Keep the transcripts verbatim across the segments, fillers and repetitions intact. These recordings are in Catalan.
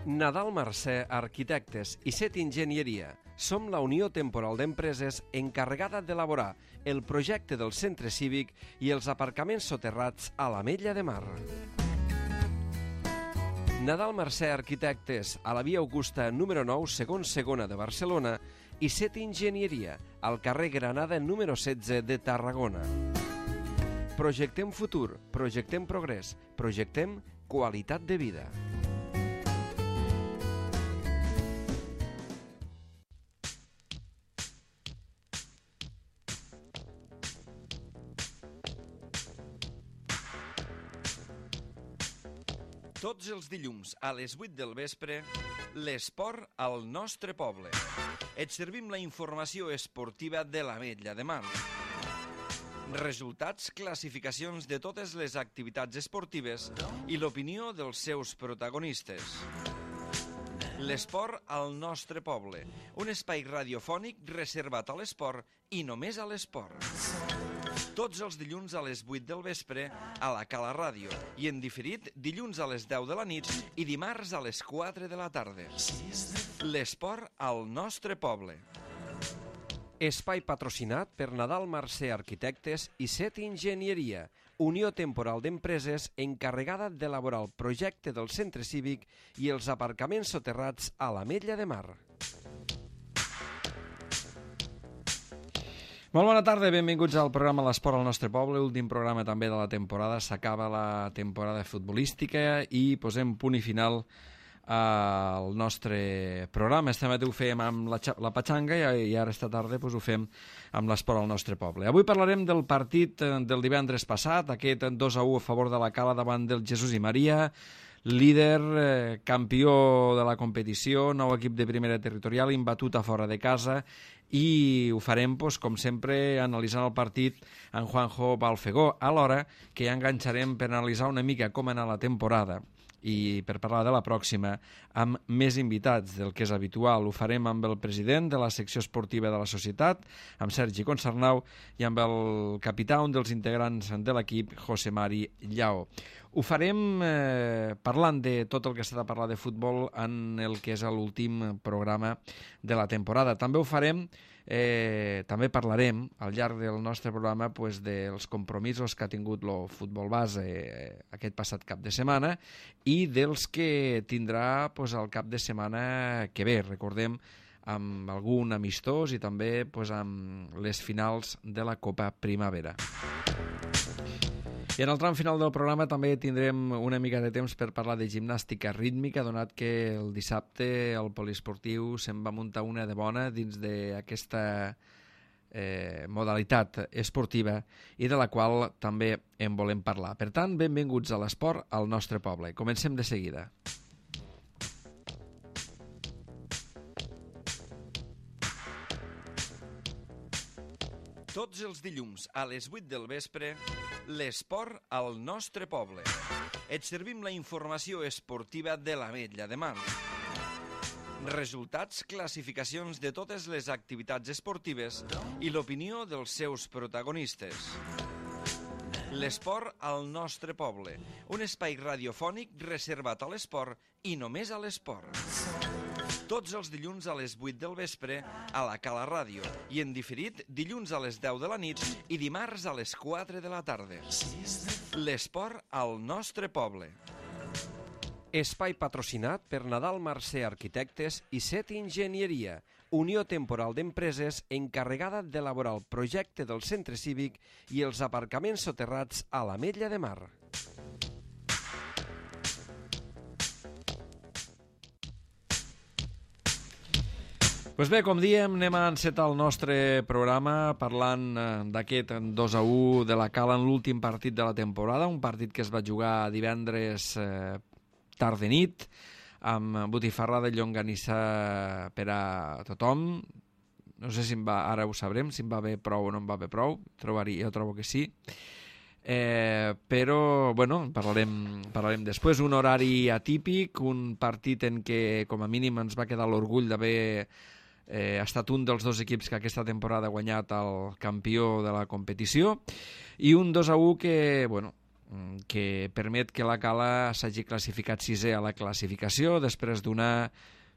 Nadal Mercè Arquitectes i Set Enginyeria. Som la Unió Temporal d'Empreses encarregada d'elaborar el projecte del centre cívic i els aparcaments soterrats a l'Ametlla de Mar. Nadal Mercè Arquitectes, a la via Augusta número nou, segon segona de Barcelona, i Set Enginyeria, al carrer Granada número setze de Tarragona. Projectem futur, projectem progrés, projectem qualitat de vida. Tots els dilluns a les vuit del vespre, l'esport al nostre poble. Et servim la informació esportiva de l'Ametlla de Mar. Resultats, classificacions de totes les activitats esportives i l'opinió dels seus protagonistes. L'esport al nostre poble, un espai radiofònic reservat a l'esport i només a l'esport. Tots els dilluns a les vuit del vespre a la Cala Ràdio i en diferit dilluns a les deu de la nit i dimarts a les quatre de la tarda. L'esport al nostre poble. Espai patrocinat per Nadal Mercè Arquitectes i Set Enginyeria, Unió Temporal d'Empreses encarregada d'elaborar el projecte del centre cívic i els aparcaments soterrats a l'Ametlla de Mar. Molt bona tarda, benvinguts al programa L'Esport al nostre poble, últim programa també de la temporada. S'acaba la temporada futbolística i posem punt i final al nostre programa. Este matí ho fèiem amb la, la Patxanga i ara esta tarda pues, ho fem amb l'Esport al nostre poble. Avui parlarem del partit del divendres passat, aquest dos a u a favor de la Cala davant del Jesús i Maria, líder, eh, campió de la competició, nou equip de primera territorial, imbatut a fora de casa, i ho farem, pues, com sempre, analitzant el partit en Juanjo Balfegó, alhora que ja enganxarem per analitzar una mica com ha anat la temporada i per parlar de la pròxima amb més invitats del que és habitual. Ho farem amb el president de la secció esportiva de la societat, amb Sergi Consarnau, i amb el capità, un dels integrants de l'equip, José Mari Llao. Ho farem eh, parlant de tot el que s'ha de parlar de futbol en el que és l'últim programa de la temporada. També ho farem, eh, també parlarem al llarg del nostre programa pues, dels compromisos que ha tingut el futbol base eh, aquest passat cap de setmana i dels que tindrà pues, el cap de setmana que ve. Recordem amb algun amistós i també pues, amb les finals de la Copa Primavera. I en el tram final del programa també tindrem una mica de temps per parlar de gimnàstica rítmica, donat que el dissabte el poliesportiu se'n va muntar una de bona dins d'aquesta eh, modalitat esportiva i de la qual també en volem parlar. Per tant, benvinguts a l'esport al nostre poble. Comencem de seguida. Tots els dilluns a les vuit del vespre, l'esport al nostre poble. Et servim la informació esportiva de l'Ametlla de Mar. Resultats, classificacions de totes les activitats esportives i l'opinió dels seus protagonistes. L'esport al nostre poble, un espai radiofònic reservat a l'esport i només a l'esport. Tots els dilluns a les vuit del vespre a la Cala Ràdio i en diferit dilluns a les deu de la nit i dimarts a les quatre de la tarda. L'esport al nostre poble. Espai patrocinat per Nadal Mercè Arquitectes i Set Enginyeria, Unió Temporal d'Empreses encarregada d'elaborar el projecte del centre cívic i els aparcaments soterrats a l'Ametlla de Mar. Pues bé, com diem, anem a encetar el nostre programa parlant eh, d'aquest dos a u de la Cala en l'últim partit de la temporada, un partit que es va jugar divendres eh, tard de nit, amb botifarra de llonganissa per a tothom. No sé si em va, ara ho sabrem, si em va bé prou o no em va bé prou, trobaria, jo trobo que sí. Eh, però, bueno, parlarem, parlarem després. Un horari atípic, un partit en què, com a mínim, ens va quedar l'orgull d'haver Eh, ha estat un dels dos equips que aquesta temporada ha guanyat el campió de la competició i un dos a u que, bueno, que permet que la Cala s'hagi classificat sisè a la classificació després d'una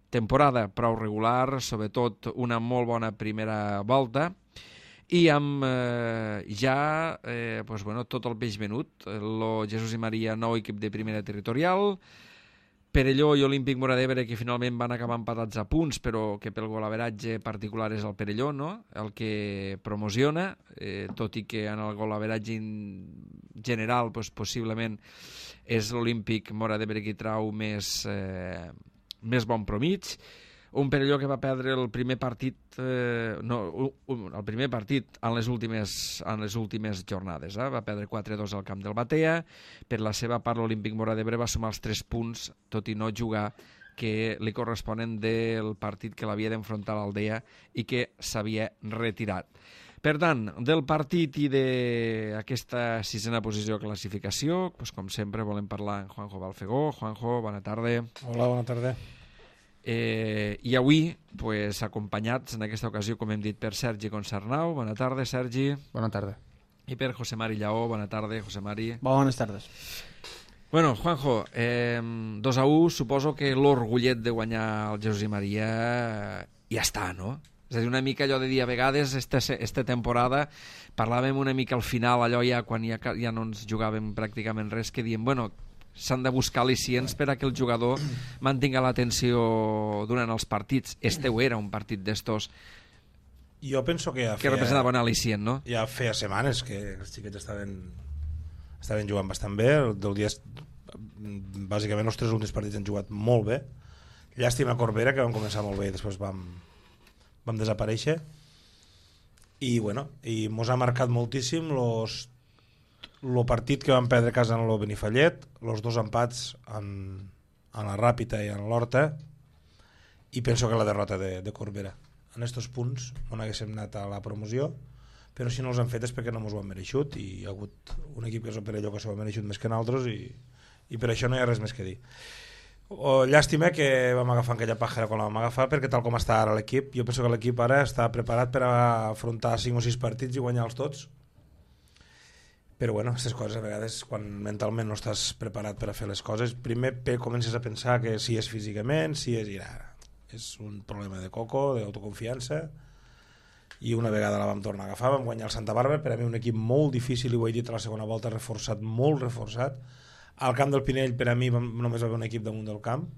temporada prou regular, sobretot una molt bona primera volta, i amb eh, ja eh, pues, bueno, tot el peix venut. El Jesús i Maria, nou equip de primera territorial, Perelló i Olímpic Móra d'Ebre, que finalment van acabar empatats a punts, però que pel golaveratge particular és el Perelló, no?, el que promociona, eh, tot i que en el golaveratge general pues, possiblement és l'Olímpic Móra d'Ebre qui trau més, eh, més bon promig. Un Perelló que va perdre el primer partit, eh, no, el primer partit en les últimes, en les últimes jornades. Eh? Va perdre quatre a dos al camp del Batea. Per la seva part, l'Olímpic Móra d'Ebre va sumar els tres punts, tot i no jugar, que li corresponen del partit que l'havia d'enfrontar l'Aldea i que s'havia retirat. Per tant, del partit i d'aquesta sisena posició de classificació, doncs, com sempre volem parlar amb Juanjo Balfegó. Juanjo, bona tarda. Hola, bona tarda. Eh, I avui, pues, acompanyats en aquesta ocasió, com hem dit, per Sergi Concernau. Bona tarda, Sergi. Bona tarda. I per José Mari Lleó. Bona tarda, José Mari. Bones tardes. Bueno, Juanjo, eh, dos a u, suposo que l'orgullet de guanyar el Jesús i Maria ja està, no? És a dir, una mica allò de dir, a vegades, esta, esta temporada, parlàvem una mica al final, allò ja, quan ja, ja no ens jugàvem pràcticament res, que diem, bueno, s'han de buscar al·licients per a que el jugador mantinga l'atenció durant els partits. Este ho era, un partit d'estos jo penso que ja que feia, representava un al·licient, no? Ja feia setmanes que els xiquets estaven, estaven jugant bastant bé. Del dia, bàsicament els tres últims partits han jugat molt bé. Llàstima a Corbera, que vam començar molt bé i després vam, vam desaparèixer. I bueno, i mos ha marcat moltíssim los el partit que vam perdre a casa en el Benifallet, els dos empats en, en la Ràpita i en l'Horta, i penso que la derrota de, de Corbera. En aquests punts on haguéssim anat a la promoció, però si no els han fet és perquè no ens ho han mereixut, i hi ha hagut un equip que és el Perelló que s'ho ha mereixut més que nosaltres, i, i per això no hi ha res més que dir. O, llàstima que vam agafar aquella pàjara quan la vam agafar, perquè tal com està ara l'equip, jo penso que l'equip ara està preparat per a afrontar cinc o sis partits i guanyar-los tots. Però bueno, aquestes coses a vegades, quan mentalment no estàs preparat per a fer les coses, primer comences a pensar que si és físicament, si és... Ara, és un problema de coco, d'autoconfiança, i una vegada la vam tornar a agafar, vam guanyar el Santa Bàrbara, per a mi un equip molt difícil, i ho he dit a la segona volta, reforçat, molt reforçat. Al camp del Pinell, per a mi, només va haver un equip damunt del camp,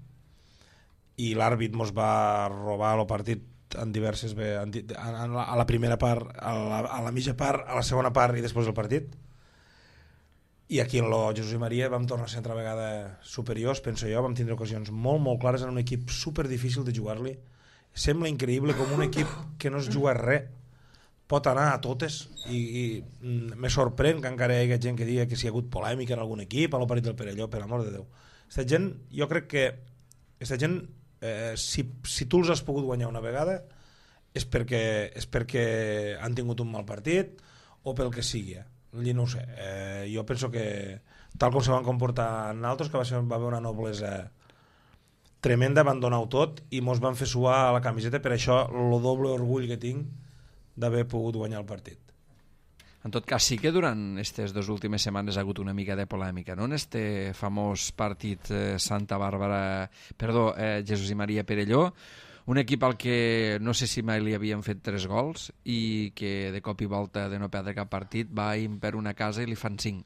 i l'àrbit mos va robar el partit en diverses... En, en la, a la primera part, a la, a la mitja part, a la segona part i després del partit. I aquí en el Jesús i Maria vam tornar a ser altra vegada superiors, penso jo, vam tindre ocasions molt, molt clares en un equip super difícil de jugar-li. Sembla increïble com un equip que no es juga res pot anar a totes, i, i me sorprèn que encara hi hagi gent que digui que si hi ha hagut polèmica en algun equip, a l'Operit del Perelló, per amor de Déu. Aquesta gent, jo crec que aquesta gent, eh, si, si tu els has pogut guanyar una vegada és perquè, és perquè han tingut un mal partit o pel que sigui. I no ho sé, eh, jo penso que tal com se van comportar en altres, que va, ser, va haver una noblesa tremenda, van donar-ho tot i mos van fer suar a la camiseta, per això el doble orgull que tinc d'haver pogut guanyar el partit. En tot cas, sí que durant aquestes dues últimes setmanes ha hagut una mica de polèmica, no?, en este famós partit eh, Santa Bàrbara, perdó, eh, Jesús i Maria Perelló, un equip al que no sé si mai li havien fet tres gols i que de cop i volta de no perdre cap partit va per una casa i li fan cinc.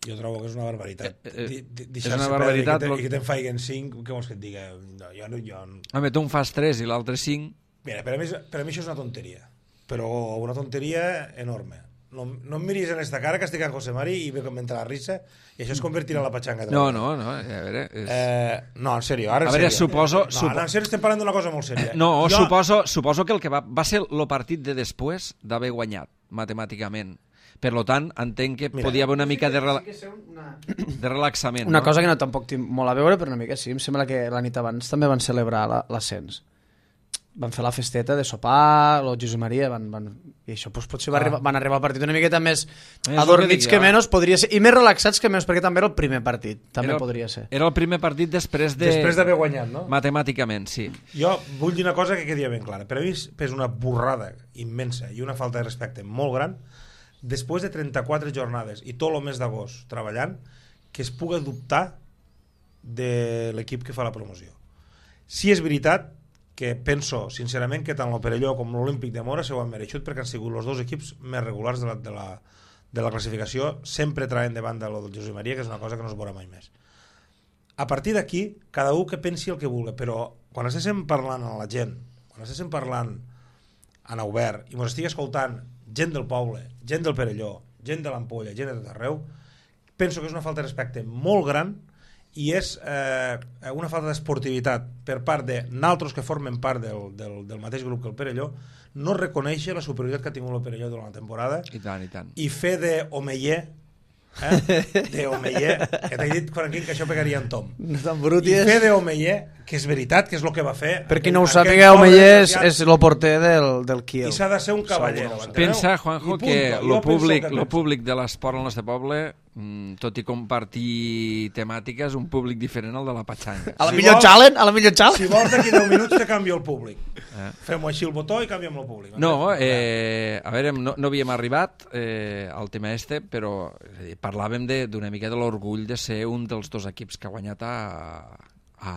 Jo trobo que és una barbaritat. Eh, eh, és una barbaritat. I que te'n faiguen cinc, què vols que et diga? No, jo no, jo... Home, tu en fas tres i l'altre cinc. Mira, per a, mi, per a mi això és una tonteria, però una tonteria enorme. No, no em miris en esta cara que estic amb José Mari i m'entra la risa i això es convertirà en la patxanga. No, no, no, a veure... És... Eh, no, en sèrio, ara en a veure, sèrio. suposo... No, supo... no, en sèrio estem parlant d'una cosa molt sèria. No, jo... suposo, suposo que el que va, va ser el partit de després d'haver guanyat, matemàticament. Per lo tant, entenc que Mira, podia haver una mica de, rela... una... de relaxament. Una no? cosa que no tampoc tinc molt a veure, però una mica sí. Em sembla que la nit abans també van celebrar l'ascens. Van fer la festeta de sopar, el Jesús i Maria, van, van, i això doncs, potser va ah. arribar, van arribar al partit una miqueta més adormits que, que menys, podria ser, i més relaxats que menys, perquè també era el primer partit, també era, podria ser. Era el primer partit després de... Després d'haver guanyat, no? Matemàticament, sí. Jo vull dir una cosa que quedi ben clara. Per a mi és una borrada immensa i una falta de respecte molt gran després de trenta-quatre jornades i tot el mes d'agost treballant, que es pugui dubtar de l'equip que fa la promoció. Si és veritat que penso sincerament que tant el Perelló com l'Olímpic de Mora s'ho han mereixut, perquè han sigut els dos equips més regulars de la, de la, de la classificació, sempre traient davant de lo del Josep Maria, que és una cosa que no es veurà mai més. A partir d'aquí, cada un que pensi el que vulgui, però quan estéssim parlant a la gent, quan estéssim parlant en obert i ens estigui escoltant gent del poble, gent del Perelló, gent de l'Ampolla, gent de tot arreu, penso que és una falta de respecte molt gran i és eh, una falta d'esportivitat per part de naltros que formen part del, del, del mateix grup que el Perelló, no reconèixer la superioritat que ha tingut el Perelló durant la temporada i tant, i tant. i fer d'homeller eh? d'homeller que t'he dit, Franquín, que això pegaria en Tom no tan brut i és. fer d'homeller, que és veritat que és el que va fer per qui no ho sàpiga, Homeller és, és el porter del, del Kiel i s'ha de ser un cavallero. Pensa, Juanjo, que el públic, que lo públic de l'esport al nostre poble, tot i compartir temàtiques, un públic diferent al de la patxanga. A la Si millor vols- challenge, a la millor challenge. Si vols d'aquí deu minuts te canvio el públic. Eh? Fem-ho així el botó i canviem el públic. No, eh, a veure, no, no havíem arribat eh, al tema este, però és a dir, parlàvem de- d'una mica de l'orgull de ser un dels dos equips que ha guanyat a, a,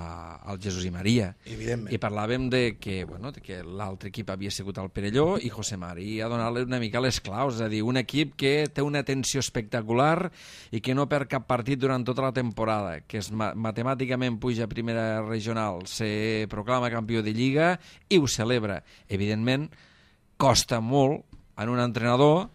al Jesús i Maria. Evidentment. I parlàvem de que, bueno, de que l'altre equip havia sigut el Perelló i José María ha donat una mica les claus, és a dir, un equip que té una tensió espectacular i que no perd cap partit durant tota la temporada, que és ma matemàticament puja a primera regional, se proclama campió de Lliga i ho celebra. Evidentment, costa molt en un entrenador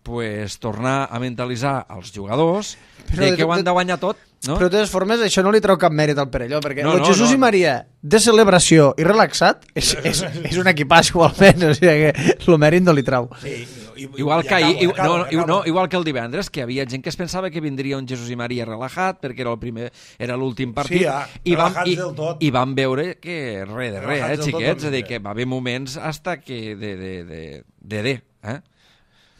pues, tornar a mentalitzar els jugadors Però de de que ho tot- han de guanyar tot. No? Però de totes formes això no li treu cap mèrit al Perelló, perquè No, el no, Jesús no, i no. Maria de celebració i relaxat és, és, és un equipatge igualment, o sigui que el mèrit no li trau. Sí, i, i, Igual i que, ahir, acabo, i- acabo, no, acabo. no, igual que el divendres, que hi havia gent que es pensava que vindria un Jesús i Maria relajat perquè era el primer, era l'últim partit, Sí, ah, i, vam, relajats i, del tot. i vam veure que res de res, Relajats eh, del tot xiquets, és a dir, vindré. que va haver moments hasta que de de, de, de, de eh?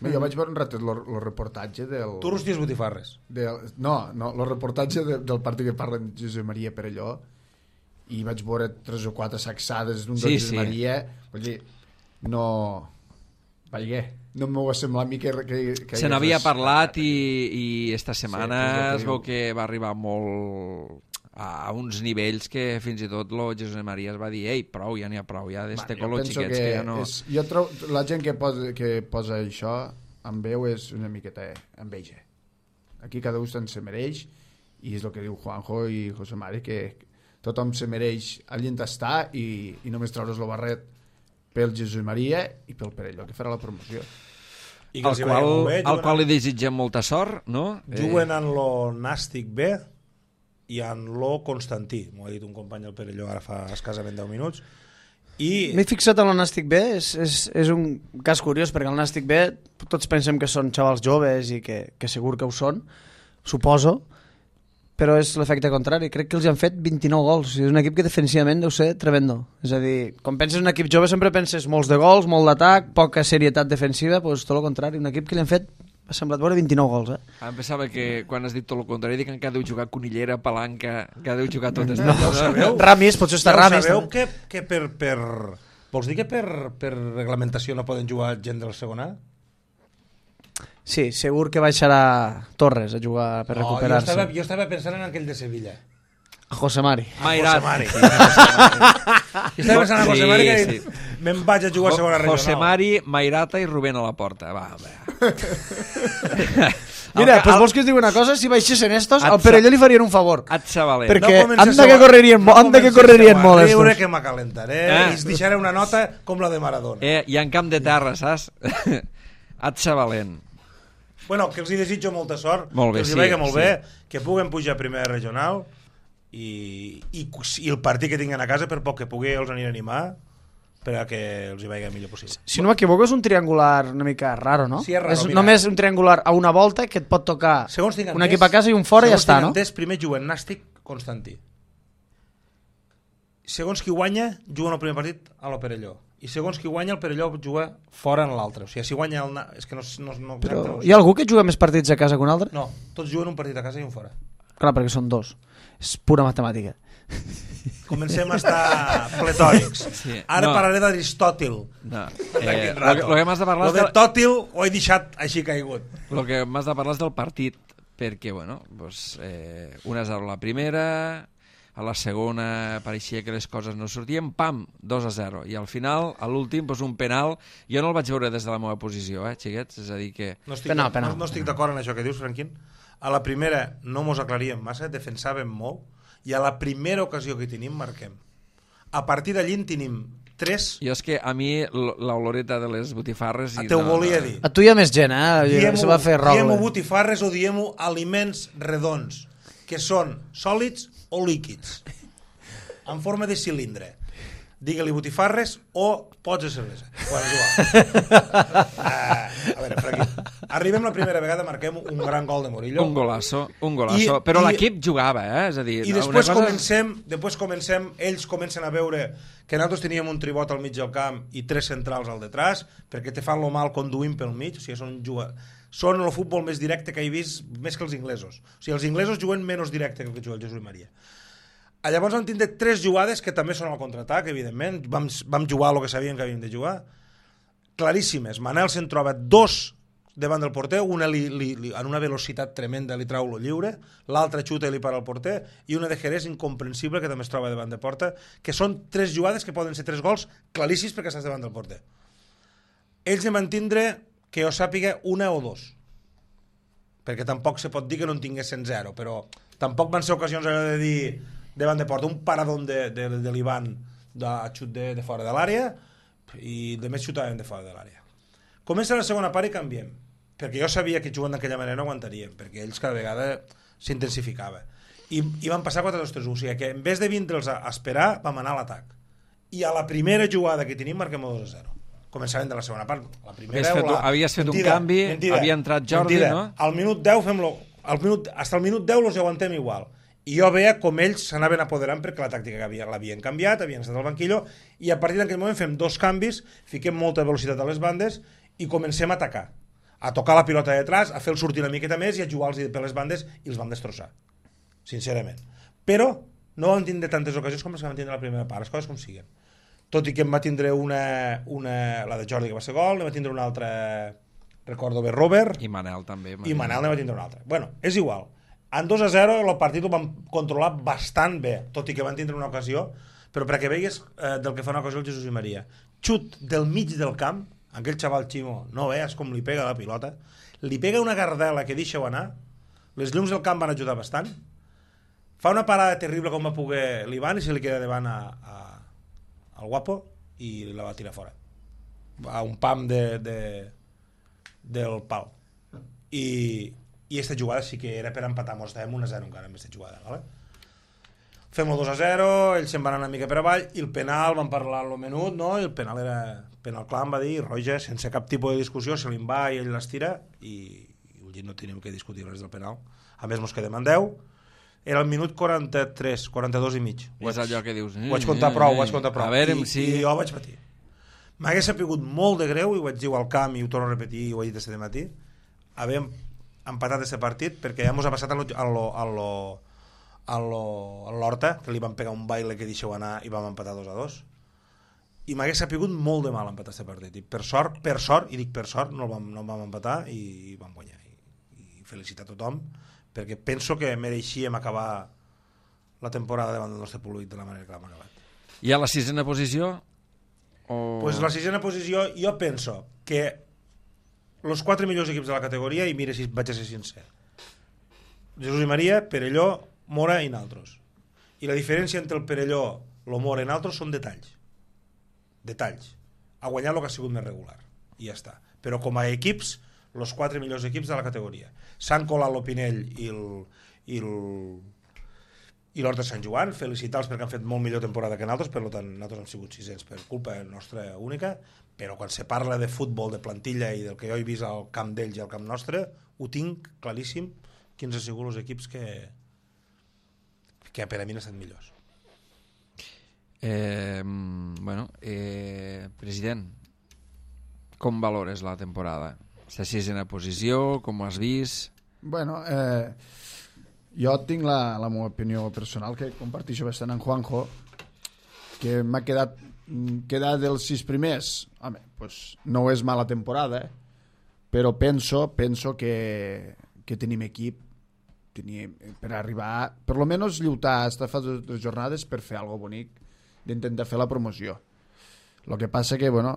Jo vaig veure un ratet el reportatge del... Tu rosties botifarres. del no, no, el reportatge de, del partit que parlen Josep Maria Perelló i vaig veure tres o quatre sacsades d'un Sí, sí, Josep sí. Maria, vull dir, no... Vaja, no m'ho va semblar a mi que... que, que Se hi n'havia hagués res- parlat i, i esta setmana és el que es veu diu. que va arribar molt a uns nivells que fins i tot lo Jesús i Maria es va dir ei, prou, ja n'hi ha prou, ja d'este Bueno, jo color penso xiquets que, ja no... és, jo trobo, la gent que posa, que posa això en veu és una miqueta enveja. Aquí cada un se'n se mereix i és el que diu Juanjo i José Mari, que tothom se mereix allà on està i, i només traure's el barret pel Jesús Maria i pel Perelló, que farà la promoció. I que Al els hi qual, vagi molt bé, al juguen qual en- li desitgem molta sort, no? Juguen en lo Nàstic B i en lo Constantí. M'ho ha dit un company del Perelló ara fa escassament deu minuts. I M'he fixat en el Nàstic B, és, és, és un cas curiós, perquè el Nàstic B tots pensem que són xavals joves i que, que segur que ho són, suposo, però és l'efecte contrari. Crec que els han fet vint-i-nou gols. És un equip que defensivament deu ser tremendo. És a dir, quan penses en un equip jove sempre penses molts de gols, molt d'atac, poca serietat defensiva, doncs tot el contrari. Un equip que li han fet, m'ha semblat veure vint-i-nou gols. Eh? Em pensava que quan has dit tot el contrari dic que deu jugar Conillera, Palanca, que deu jugar totes. Ja ho sabeu? Ramis, potser està Ja ho Ramis. sabeu també. que, que per, per... Vols dir que per, per reglamentació no poden jugar gent del segon A? Sí, segur que baixarà Torres a jugar per No, jo recuperar-se. estava, jo estava pensant en aquell de Sevilla. José Mari. Mairat. José Mari. Sí, José Mari. Jo estava pensant en José Mari que Sí, sí. me'n vaig a jugar a segona regional. José Mari, Mairata i Rubén a la porta. Va, va. Mira, El- pues el- vols que us digui una cosa? Si baixessin estos, Et al sa- Perelló li farien un favor. Et sabaler. Perquè comenceu anda que a- correrien mo- anda que comenceu correrien a molt riure estos. que m'acalentaré Eh. i us deixaré una nota com la de Maradona. Eh, I en camp de terra, saps? Et sabalent. Bueno, que els hi desitjo molta sort, Molt bé, que els hi sí, vagi molt sí. bé, que puguen pujar a primera regional i, i, i el partit que tinguin a casa, per poc que pugui, els aniré a animar per a que els hi vagi el millor possible. Si no m'equivoco, és un triangular una mica raro, no? Sí, és raro, és mira. només un triangular a una volta que et pot tocar Segons tinc un entès, equip a casa i un fora i ja segons està, tinc no? entès, primer juguen Nàstic, Constantí. Segons qui guanya, juguen el primer partit a la Perelló. I segons qui guanya, el Perelló juga fora en l'altre. O sigui, si guanya el... Na- És que no... no, no Però exacte, no, hi ha algú que juga més partits a casa que un altre? no, tots juguen un partit a casa i un fora. Clar, perquè són dos. És pura matemàtica. comencem a estar pletòrics. Sí, Ara no. parlaré d'Aristòtil. No. D'aquí Eh, un lo, rato. que- lo que m'has de parlar Lo és de del, Tòtil ho he deixat així caigut. lo que m'has de parlar és del partit, perquè, bueno, pues, eh, una a zero la primera, a la segona pareixia que les coses no sortien, pam, dos a zero, i al final, a l'últim, pues, un penal, jo no el vaig veure des de la meva posició, eh, xiquets, és a dir que... No estic, Penal, penal. no, no estic d'acord en això que dius, Franquín. A la primera no mos aclaríem massa, defensàvem molt, i a la primera ocasió que tenim marquem. A partir d'allí en tenim tres. Jo és que a mi l- l'oloreta de les botifarres... i Te ho no, volia no, dir. A tu hi ha més gent, eh? Diem-ho Se va fer rol. diem-ho botifarres o diem-ho aliments redons, que són sòlids o líquids, en forma de cilindre. Digue-li botifarres o pots de cervesa. Bueno, és igual. Uh, a veure, Franqui, arribem la primera vegada, marquem un gran gol de Murillo. Un golasso, un golasso. I- però i- l'equip jugava, eh? És a dir, I una després cosa... comencem, després comencem, ells comencen a veure que nosaltres teníem un tribot al mig del camp i tres centrals al detrás, perquè te fan lo mal conduint pel mig, o sigui, són juga... són el futbol més directe que he vist, més que els inglesos. O sigui, els inglesos juguen menys directe que el que juga el Jesús Maria. Llavors vam tindre tres jugades que també són al contraatac, evidentment. Vam, vam jugar el que sabíem que havíem de jugar. Claríssimes. Manel se'n troba dos davant del porter, una li, li, li, en una velocitat tremenda li trau lo lliure, l'altra xuta i li para el porter, i una de Jerez incomprensible que també es troba davant de porta, que són tres jugades que poden ser tres gols claríssims perquè estàs davant del porter. Ells en van tindre, que jo sàpiga, una o dos. Perquè tampoc se pot dir que no en tinguessin zero, però tampoc van ser ocasions allò de dir davant de porta, un paradón de, de, de l'Ivan de xut de, de fora de l'àrea i de més xutaven de fora de l'àrea. Comença la segona part i canviem, perquè jo sabia que jugant d'aquella manera no aguantaríem, perquè ells cada vegada s'intensificava. I, i van passar quatre dos tres u, o sigui que en vez de vindre'ls a esperar, vam anar a l'atac. I a la primera jugada que tenim marquem dos a zero. Començàvem de la segona part. La primera, Havies fet, la... havies fet mentida, un canvi, mentida, havia entrat Jordi, mentida. no? Al minut deu fem-lo... Al minut, hasta el minut deu los aguantem igual. I jo veia com ells s'anaven apoderant perquè la tàctica que l'havien canviat, havien estat al banquillo, i a partir d'aquell moment fem dos canvis, fiquem molta velocitat a les bandes i comencem a atacar. A tocar la pilota de detrás, a fer el sortir una miqueta més i a jugar-los per les bandes i els vam destrossar. Sincerament. Però no vam tindre tantes ocasions com les que vam tindre la primera part, les coses com siguen. Tot i que em va tindre una, una la de Jordi que va ser gol, ne va tindre una altra, recordo bé, Robert, I Manel també. i Manel ne va tindre una altra. Bueno, és igual. En dos a zero el partit el vam controlar bastant bé, tot i que van tindre una ocasió, però perquè veigues eh, del que fa una ocasió el Jesús i Maria. Xut del mig del camp, aquell xaval Ximo, no veus com li pega la pilota, li pega una gardela que deixa-ho anar, les llums del camp van ajudar bastant, fa una parada terrible com va poder l'Ivan i se li queda davant a, a, al guapo i la va tirar fora. A un pam de, de, del pal. I, i aquesta jugada sí que era per empatar, mos estàvem un a zero encara amb aquesta jugada, ¿vale? Fem el dos a zero, ells se'n van anar una mica per avall i el penal, van parlar en el menut, no? I el penal era penal clar, em va dir Roger, sense cap tipus de discussió, se li'n va i ell l'estira i, i no tenim que discutir res del penal. A més mos quedem en deu, era el minut quaranta-tres, quaranta-dos i mig. I és allò que dius... Ho vaig comptar prou, ho vaig comptar prou. A veure I, si... I jo vaig patir. M'hagués sapigut molt de greu, i ho vaig dir al camp i ho torno a repetir, i ho he dit aquest matí, haver empatat aquest partit, perquè ja mos ha passat a lo, a lo, a lo, a lo, a l'Horta, que li van pegar un baile que deixeu anar i vam empatar dos a dos. I m'hagués sapigut molt de mal empatar aquest partit. I per sort, per sort, i dic per sort, no el vam, no el vam empatar i, i vam guanyar. I, i felicitar a tothom, perquè penso que mereixíem acabar la temporada davant del nostre públic de la manera que l'hem acabat. I a la sisena posició? O... Pues la sisena posició, jo penso que els quatre millors equips de la categoria, i mira si vaig a ser sincer, Jesús i Maria, Perelló, Mora i naltros. I la diferència entre el Perelló, el Mora i naltros són detalls. Detalls. Ha guanyat el que ha sigut més regular. I ja està. Però com a equips, els quatre millors equips de la categoria. S'han colat l'Opinell i el... I el i l'Horta Sant Joan, felicitar-los perquè han fet molt millor temporada que nosaltres, per tant nosaltres hem sigut sisens per culpa nostra única, però quan se parla de futbol, de plantilla i del que jo he vist al camp d'ells i al camp nostre, ho tinc claríssim quins han sigut els equips que que per a mi han estat millors. Eh, bueno, eh, president, com valores la temporada? La sisena posició, com ho has vist? Bueno, eh, Jo tinc la, la meva opinió personal, que comparteixo bastant amb Juanjo, que m'ha quedat quedar dels sis primers. Home, pues no és mala temporada, eh? Però penso, penso que, que tenim equip tenim, per arribar, per lo menos lluitar hasta fa dues jornades per fer algo bonic, d'intentar fer la promoció. El que passa que, bueno,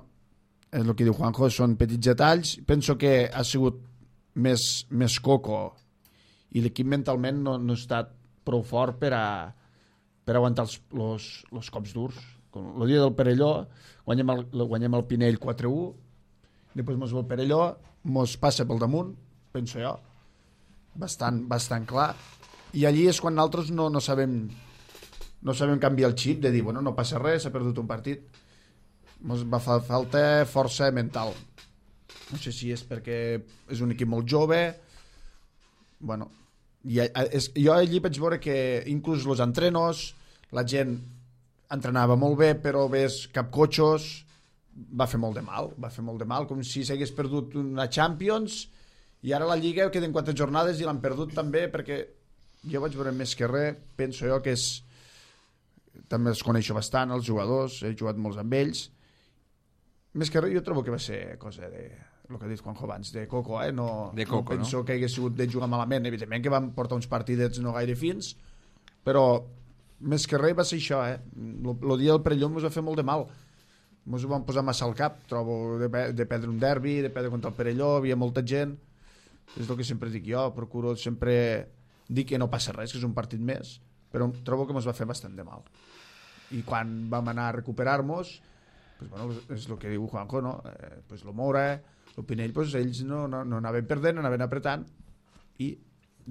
és el que diu Juanjo, són petits detalls. Penso que ha sigut més, més coco i l'equip mentalment no, no ha estat prou fort per a, per aguantar els, los, los cops durs. El dia del Perelló guanyem el, guanyem el Pinell quatre a u, després mos ve el Perelló, mos passa pel damunt, penso jo, bastant, bastant clar, i allí és quan nosaltres no, no sabem no sabem canviar el xip de dir, bueno, no passa res, s'ha perdut un partit. Mos va fa falta força mental. No sé si és perquè és un equip molt jove, bueno, i, és, jo allí vaig veure que inclús els entrenos, la gent entrenava molt bé, però ves cap cotxos, va fer molt de mal, va fer molt de mal, com si s'hagués perdut una Champions, i ara la Lliga queden quatre jornades i l'han perdut també, perquè jo vaig veure més que res, penso jo que és, també els coneixo bastant, els jugadors, he jugat molts amb ells, més que res jo trobo que va ser cosa de, el que ha dit Juanjo abans, de coco, eh? no, de coco, no penso no? que hagués sigut de jugar malament, evidentment que van portar uns partidets no gaire fins, però més que res va ser això, eh? El dia del Perelló ens va fer molt de mal, ens ho vam posar massa al cap, trobo, de, de perdre un derbi, de perdre contra el Perelló, havia molta gent, és el que sempre dic jo, procuro sempre dir que no passa res, que és un partit més, però trobo que ens va fer bastant de mal. I quan vam anar a recuperar-nos, pues, bueno, és el que diu Juanjo, no? Eh, pues, lo Mora, el Pinell, pues, ells no, no, no anaven perdent, anaven apretant, i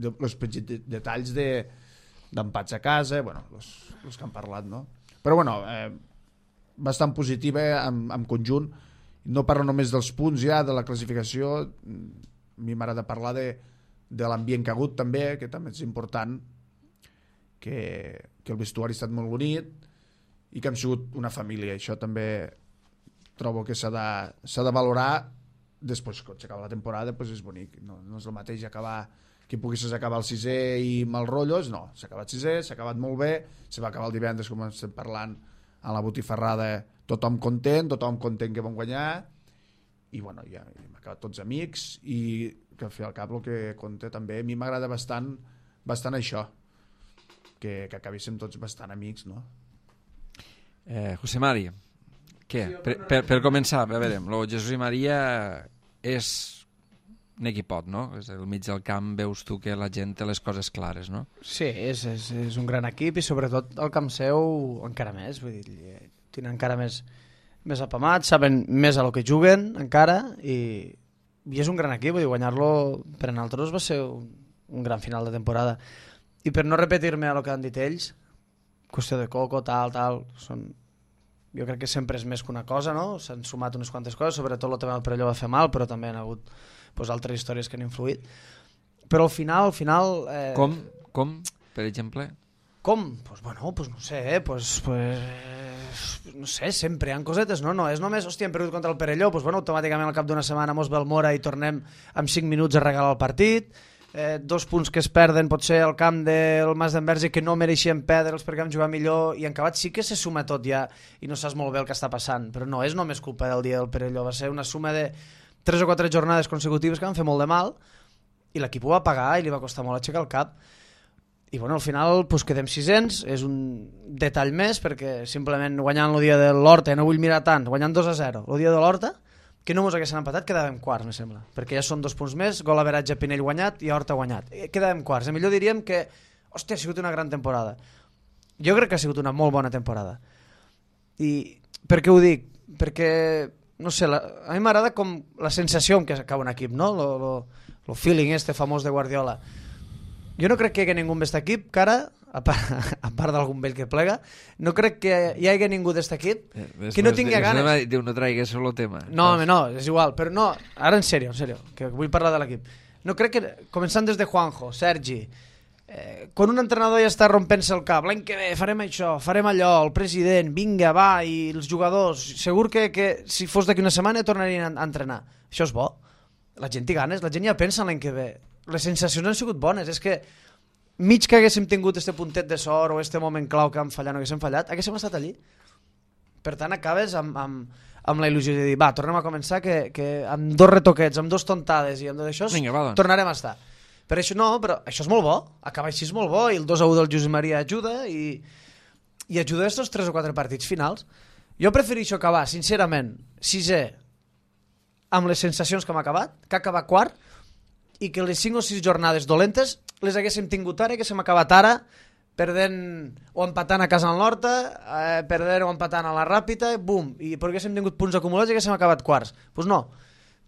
els petits detalls de d'empats a casa, bueno, els que han parlat, no? Però, bueno, eh, bastant positiva en, en conjunt. No parlo només dels punts ja, de la classificació, a mi m'agrada parlar de, de l'ambient que ha hagut també, que també és important, que, que el vestuari ha estat molt bonit i que hem sigut una família. Això també trobo que s'ha de, s'ha de valorar. Després, quan s'acaba la temporada, doncs és bonic. No, no és el mateix acabar que poguessis acabar el sisè i mal rotllos, no, s'ha acabat sisè, s'ha acabat molt bé, se va acabar el divendres, com estem parlant, a la botifarrada, tothom content, tothom content que vam guanyar, i bueno, ja hem acabat tots amics, i que al fi al cap el que compta també, a mi m'agrada bastant, bastant això, que, que acabéssim tots bastant amics, no? Eh, José Mari, què? Per, per, per començar, a veure, el Jesús i Maria és un equipot, no? És al mig del camp veus tu que la gent té les coses clares, no? Sí, és, és, és un gran equip i sobretot el camp seu encara més, vull dir, tenen encara més, més apamat, saben més a lo que juguen encara i, i és un gran equip, vull dir, guanyar-lo per a nosaltres va ser un, un gran final de temporada. I per no repetir-me a lo que han dit ells, qüestió de coco, tal, tal, són... jo crec que sempre és més que una cosa, no? S'han sumat unes quantes coses, sobretot el tema del Perelló va fer mal, però també han hagut pues, altres històries que han influït. Però al final... Al final eh... Com? Com, per exemple? Com? Pues bueno, pues no sé, eh? pues, pues, no sé, sempre hi ha cosetes, no? No és només, hòstia, hem perdut contra el Perelló, pues bueno, automàticament al cap d'una setmana mos ve el Mora i tornem amb cinc minuts a regalar el partit. Eh, dos punts que es perden potser al camp del Mas d'Enverge que no mereixien perdre'ls perquè vam jugar millor i en acabat sí que se suma tot ja i no saps molt bé el que està passant, però no és només culpa del dia del Perelló, va ser una suma de tres o quatre jornades consecutives que van fer molt de mal i l'equip ho va pagar i li va costar molt aixecar el cap i bueno, al final pues, quedem sisens, és un detall més perquè simplement guanyant el dia de l'Horta, no vull mirar tant, guanyant dos a zero el dia de l'Horta, que no mos haguessin empatat, quedàvem quarts, me sembla, perquè ja són dos punts més, gol average a Pinell guanyat i a Horta guanyat. Quedàvem quarts. A millor diríem que, hòstia, ha sigut una gran temporada. Jo crec que ha sigut una molt bona temporada. I per què ho dic? Perquè, no sé, la, a mi m'agrada com la sensació amb què acaba un equip, no? Lo, lo, lo feeling este famós de Guardiola. Jo no crec que hi hagi ningú d'este equip que ara, a part, a part d'algun vell que plega, no crec que hi hagi ningú d'este equip que no tingui ganes. Diu, no traigues solo tema. No, home, no, és igual, però no, ara en sèrio, en sèrio, que vull parlar de l'equip. No crec que, començant des de Juanjo, Sergi, eh, quan un entrenador ja està rompent-se el cap, l'any que ve farem això, farem allò, el president, vinga, va, i els jugadors, segur que, que si fos d'aquí una setmana tornarien a entrenar. Això és bo. La gent té ganes, la gent ja pensa l'any que ve. Les sensacions han sigut bones, és que mig que haguéssim tingut este puntet de sort o este moment clau que hem fallat no haguéssim fallat, haguéssim estat allí. Per tant, acabes amb, amb, amb la il·lusió de dir, va, tornem a començar, que, que amb dos retoquets, amb dos tontades i amb dos d'això, doncs. tornarem a estar. Per això no, però això és molt bo, acaba així és molt bo, i el dos a u del Josep Maria ajuda, i, i ajuda estos tres o quatre partits finals. Jo prefereixo acabar, sincerament, sisè, amb les sensacions que hem acabat, que acabar quart, i que les cinc o sis jornades dolentes les haguéssim tingut ara, que haguéssim acabat ara, perdent o empatant a casa al Horta, eh, perdent o empatant a la Ràpita, bum, i perquè haguéssim tingut punts acumulats i haguéssim acabat quarts. Doncs pues no,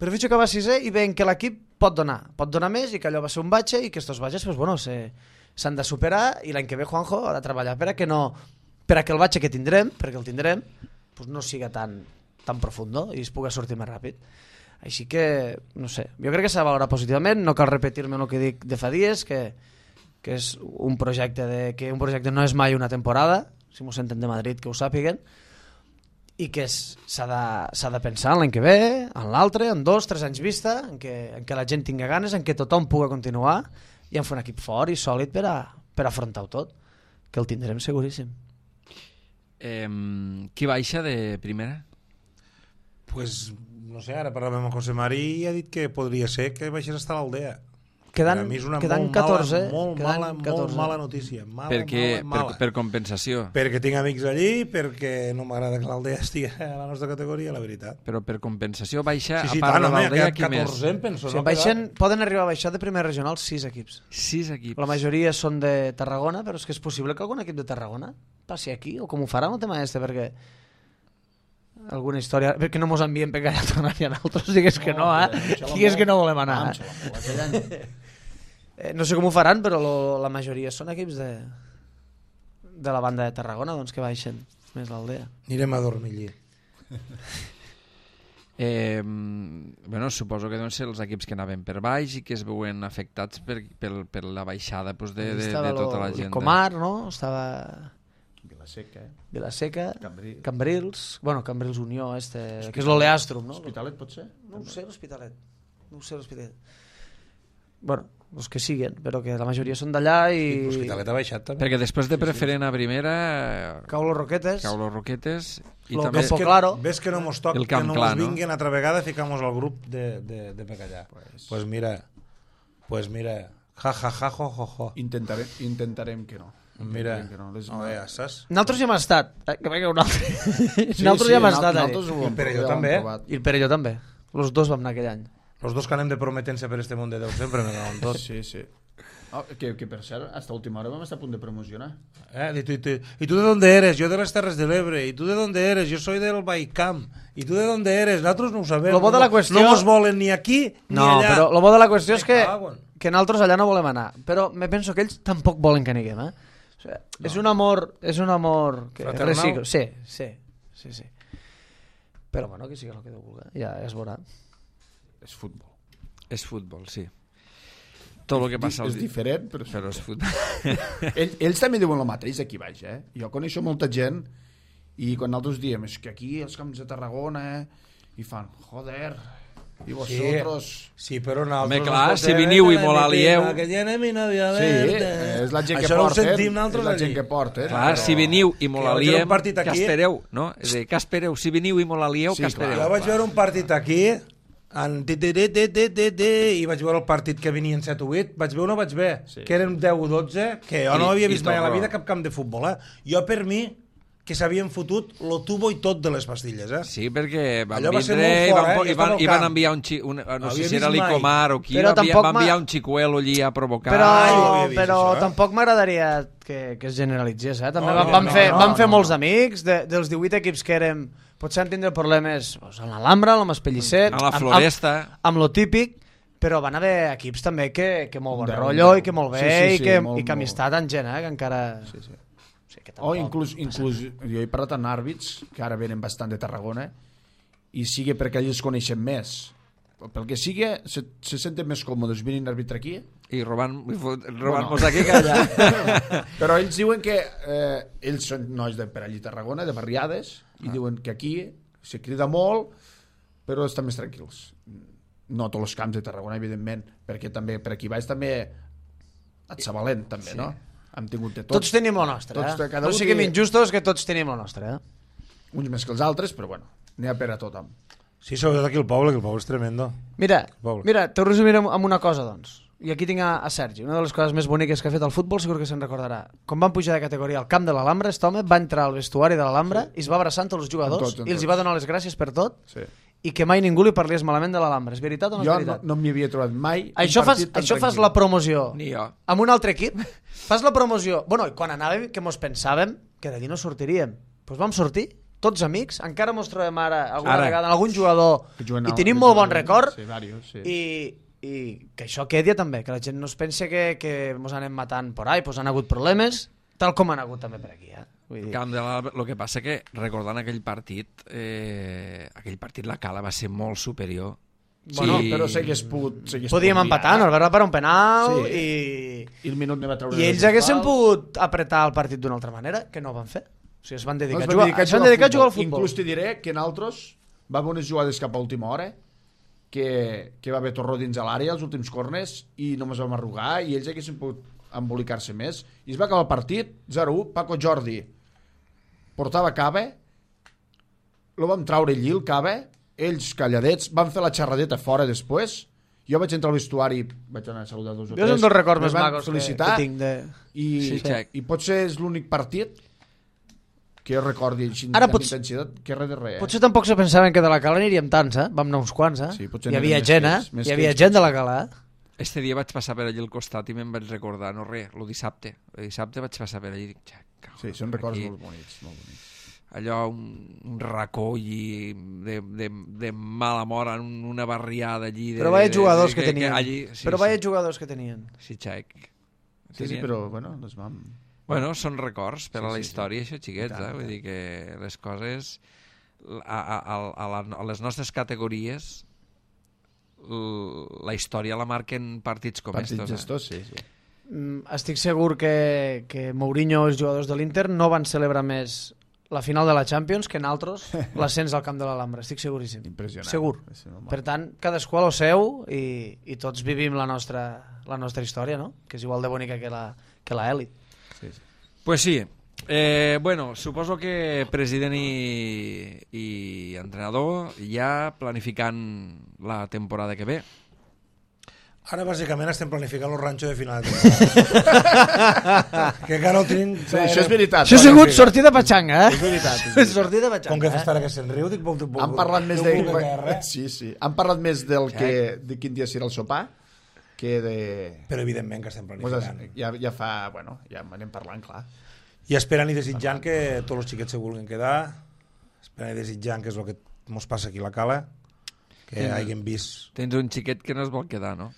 prefereixo acabar sisè i veient que l'equip pot donar, pot donar més i que allò va ser un batxe i que estos batxes pues, bueno, s'han de superar i l'any que ve Juanjo ha de treballar per a que no, per a que el batxe que tindrem, perquè el tindrem, pues no siga tan, tan profund, no? I es pugui sortir més ràpid. Així que, no sé, jo crec que s'ha de valorar positivament, no cal repetir-me el que dic de fa dies, que, que és un projecte de, que un projecte no és mai una temporada, si m'ho senten de Madrid que ho sàpiguen, i que s'ha de, s'ha de pensar en l'any que ve, en l'altre, en dos, tres anys vista, en què, en què la gent tinga ganes, en què tothom pugui continuar i en fer un equip fort i sòlid per, a, per afrontar-ho tot, que el tindrem seguríssim. Eh, qui baixa de primera? Pues, no sé, ara parlàvem amb José Mari i ha dit que podria ser que baixés hasta l'Aldea. Quedant, a mi és una quedant molt catorze, mala, molt, quedant mala, catorze. molt mala notícia. Mala, Perquè, mala, mala. per, per compensació. Perquè tinc amics allí, perquè no m'agrada que l'Aldea estigui a la nostra categoria, la veritat. Però per compensació baixa, Sí, sí, a part tant, de home, l'Aldea, aquest qui més? catorzè, penso, Sí, no? baixen, poden arribar a baixar de primer regional sis equips. Sis equips. La majoria són de Tarragona, però és que és possible que algun equip de Tarragona passi aquí, o com ho faran el tema este, perquè alguna història, perquè no mos envien per allà tornar-hi a nosaltres, digues que no, eh? Digues que no volem anar. Eh? Eh, no sé com ho faran, però lo, la majoria són equips de, de la banda de Tarragona, doncs que baixen més l'Aldea. Anirem a dormir allí. Eh, bueno, suposo que deuen ser els equips que anaven per baix i que es veuen afectats per, per, per la baixada pues, de, de, de tota la gent. Comar, no? Estava Vilaseca, eh? Vilaseca, Cambrils. Cambrils, bueno, Cambrils Unió, este, que és l'Oleàstrom, no? Hospitalet pot ser? No ho sé, l'Hospitalet. No ho sé, l'Hospitalet. Bueno, els que siguen, però que la majoria són d'allà i... L'Hospitalet ha baixat també. Perquè després de preferent a primera cau los Roquetes, cau los Roquetes i Lo també Campo Claro. Ves que no mos toca, El que Camp no Clar, mos no? vinguin altra vegada i ficamos al grup de, de, de Pecallà. Pues, pues mira, pues mira, ja, ja, ja, jo, jo, jo. Intentarem, intentarem que no. Mira, Intentarem que no. Les... no, ja saps? Nosaltres ja hem estat, eh, que veig un altre. Sí, Nosaltres sí, ja hem nal- estat allà. nosaltres ho hem- I Perelló ho hem també, eh? provat. I el Perelló també. Los dos vam anar aquell any. Los dos que anem de prometent-se per este món de Déu sempre me cauen tots. Sí, sí. Oh, que, que per cert, hasta última hora vam estar a punt de promocionar. Eh? ¿Y, tú, y, tú, ¿Y tú de dónde eres? Yo de las Terres del Ebre. ¿Y tú de dónde eres? Yo soy del Baicamp. ¿Y tú de dónde eres? Nosotros no ho sabem. Lo bo de la no, qüestió- no mos volen ni aquí ni No, allà. però el bo de la qüestió és que, Me cago en. que nosaltres allà no volem anar. Però me penso que ells tampoc volen que aniguem, eh? O sigui, no. És un amor... És un amor... Que Fraternal? reciclo. Sí, sí, sí, sí. Però bueno, que sigui el que Déu vulgui. Ja es veurà. És futbol. és futbol, sí. Tot el que passa... És diferent, però és però és futbol. futbol. Ell, ells també diuen el mateix aquí baix, eh? Jo coneixo molta gent i quan nosaltres diem és que aquí els camps de Tarragona, eh? I fan, joder, i vosotros... Sí, però nosaltres... Home, clar, si veniu i molt alieu... Que tiene mi novia Sí, verde. és la gent que Això no ho porten. sentim nosaltres és la allí. gent que porten. Clar, però- si veniu i molt Que vaig veure aliem, un partit que aquí- espereu, no? És a dir, que espereu? Si veniu i molt alieu, Sí, que clar. espereu? Jo vaig veure un partit aquí en ti, ti, ti, ti, ti, ti, ti, i vaig veure el partit que venien set o vuit, vaig veure o no vaig veure, Sí. que eren deu o dotze, que jo I- no havia i vist mai a la tot, vida no. cap camp de futbol, eh? Jo per mi, que s'havien fotut lo tubo i tot de les pastilles, eh? Sí, perquè van Allò va ser vindre molt i fort, van, eh? po- Jo i van, estava al i van camp. enviar un, xi, un no havia sé si vist era mai. l'Icomar o qui, Però va, enviar, tampoc va enviar m'ha- un xicuelo allí a provocar. Però, Ah, jo ho havia vist, però això, eh? tampoc m'agradaria que, que es generalitzés, eh? També No, vam, no, vam no, fer, no, vam fer no, molts no. amics, de, dels divuit equips que érem, potser han tindre problemes doncs, amb l'Alhambra, amb l'Espellicet, A la amb, Floresta. amb, amb lo típic, però van haver equips també que, que molt bon De- rotllo de- i que molt bé sí, sí, i, sí, que, molt, i que amistat en gent, eh? Que encara... Sí, sí. Sí, que O tampoc inclús, passa. inclús jo he parlat amb àrbits que ara venen bastant de Tarragona i sigui perquè ells coneixen més, pel que sigui se, se senten més còmodes venint a arbitrar aquí, I robant, robant-nos Bueno. aquí que allà. però ells diuen que eh, ells són nois de per allí a Tarragona, de barriades, i diuen que aquí se crida molt però estan més tranquils. No tots els camps de Tarragona, evidentment, perquè també per aquí baix també et Sabalent també, Sí. no? Hem tingut de Tots, tots, tenim el nostre, tots, eh? cada No un siguem té- injustos, que tots tenim el nostre, eh? uns més que els altres, però bueno, n'hi ha per a tothom. Sí, sobretot aquí el poble, que el poble és tremendo. Mira, Poble. mira, t'ho resumiré amb amb una cosa, doncs. I aquí tinc a, a Sergi. Una de les coses més boniques que ha fet el futbol, segur que se'n recordarà. Quan van pujar de categoria al camp de l'Alhambra, aquest home va entrar al vestuari de l'Alhambra i es va abraçar amb tots els jugadors Amb tots, amb i els hi tots. va donar les gràcies per tot Sí. i que mai ningú li parlés malament de l'Alhambra. És veritat o no és Jo no, veritat? no m'hi havia trobat mai Això, un fas, partit tan això fas tranquil. la promoció Ni jo. amb un altre equip, fas la promoció. Bueno, i quan anàvem, que mos pensàvem que d'allí no sortiríem. Doncs vam sortir, tots amics, encara mos trobem ara, alguna Ara. vegada, en algun jugador, Que juguen i a- tenim que molt bon juguen- record, Sí, varios, sí. i, i que això quedi també, que la gent no es pensi que, que mos anem matant por ahí, pues han hagut problemes, tal com han hagut també per aquí. Eh? Vull dir, Camp de l'Alba, el que passa que, recordant aquell partit, eh, aquell partit la Cala va ser molt superior. Bueno, Sí. Però s'hagués pogut... s'hagués podíem pogut empatar, liar. no? El per un penal Sí. i... I el minut ne va treure... I ells del haguessin pal. pogut apretar el partit d'una altra manera, que no ho van fer. O sigui, es van dedicar, No, a, es van jugar, dedicar a es van jugar dedicar a jugar al futbol. Inclús te diré que en altres va haver unes jugades cap a última hora que, que va haver Torró dins a l'àrea, els últims corners, i només vam arrugar, i ells haguessin pogut embolicar-se més. I es va acabar el partit, zero u, Paco Jordi portava Cabe, lo vam traure allí, el Cabe, ells calladets, van fer la xerradeta fora després, jo vaig entrar al vestuari, vaig anar a saludar dos o Jo tres, és un dels records me més van macos que, felicitar, que tinc de... i, Sí, Xac. i potser és l'únic partit que jo recordi així Ara amb pots- intensitat que res de res. Eh? Potser tampoc se pensaven que de la Cala aniríem tants, eh? Vam anar uns quants, eh? Sí, potser Hi havia anirem més gent, eh? que ells, més Hi que havia ells, gent de la Cala, eh? Este dia vaig passar per allí al costat i me'n vaig recordar, no res, el dissabte. El dissabte vaig passar per allí i dic, "Xac, cabrón, Sí, són records aquí". molt bonics, molt bonics. Allò, un, un racó i de, de, de mala mort en una barriada allí. De, Però vaya de- jugadors de- que tenien. allí, sí, Però sí. vaya jugadors que tenien. Sí, Xac. Sí, sí, Tenien- però bueno, les vam... Bueno, són records per Sí, a la sí, sí. història, això, xiquets, I tant, eh? i Vull tant. dir que les coses... A, a, a, a, la, a les nostres categories l- la història la marquen partits com Partits estos. Eh? gestos, sí, sí. Mm, estic segur que, que Mourinho i els jugadors de l'Inter no van celebrar més la final de la Champions que en altres l'ascens al camp de l'Alhambra, estic seguríssim. Impressionant. Segur. És normal. Per tant, cadascú a lo seu i, i tots vivim la nostra, la nostra història, no? Que és igual de bonica que la, que la Elit. Sí, sí. Pues sí. Eh, bueno, suposo que president i, i entrenador ja planificant la temporada que ve. Ara, bàsicament, estem planificant el ranxo de final de temporada. que encara no tenim... Sí, això és veritat. Això ha sigut sí. sortida patxanga, eh? És veritat, és veritat. Sortida patxanga, Com que fes eh? estar que se'n riu, dic... Puc, puc, Han parlat més no de... puc veure res. Sí, sí. Han parlat més del que... de quin dia serà el sopar que de... Però evidentment que estem Pues, planificant. ja, ja fa... Bueno, ja anem parlant, clar. I esperant i desitjant que tots els xiquets se vulguin quedar, esperant i desitjant que és el que mos passa aquí a la Cala, que Sí. hagin vist... Tens un xiquet que no es vol quedar, no?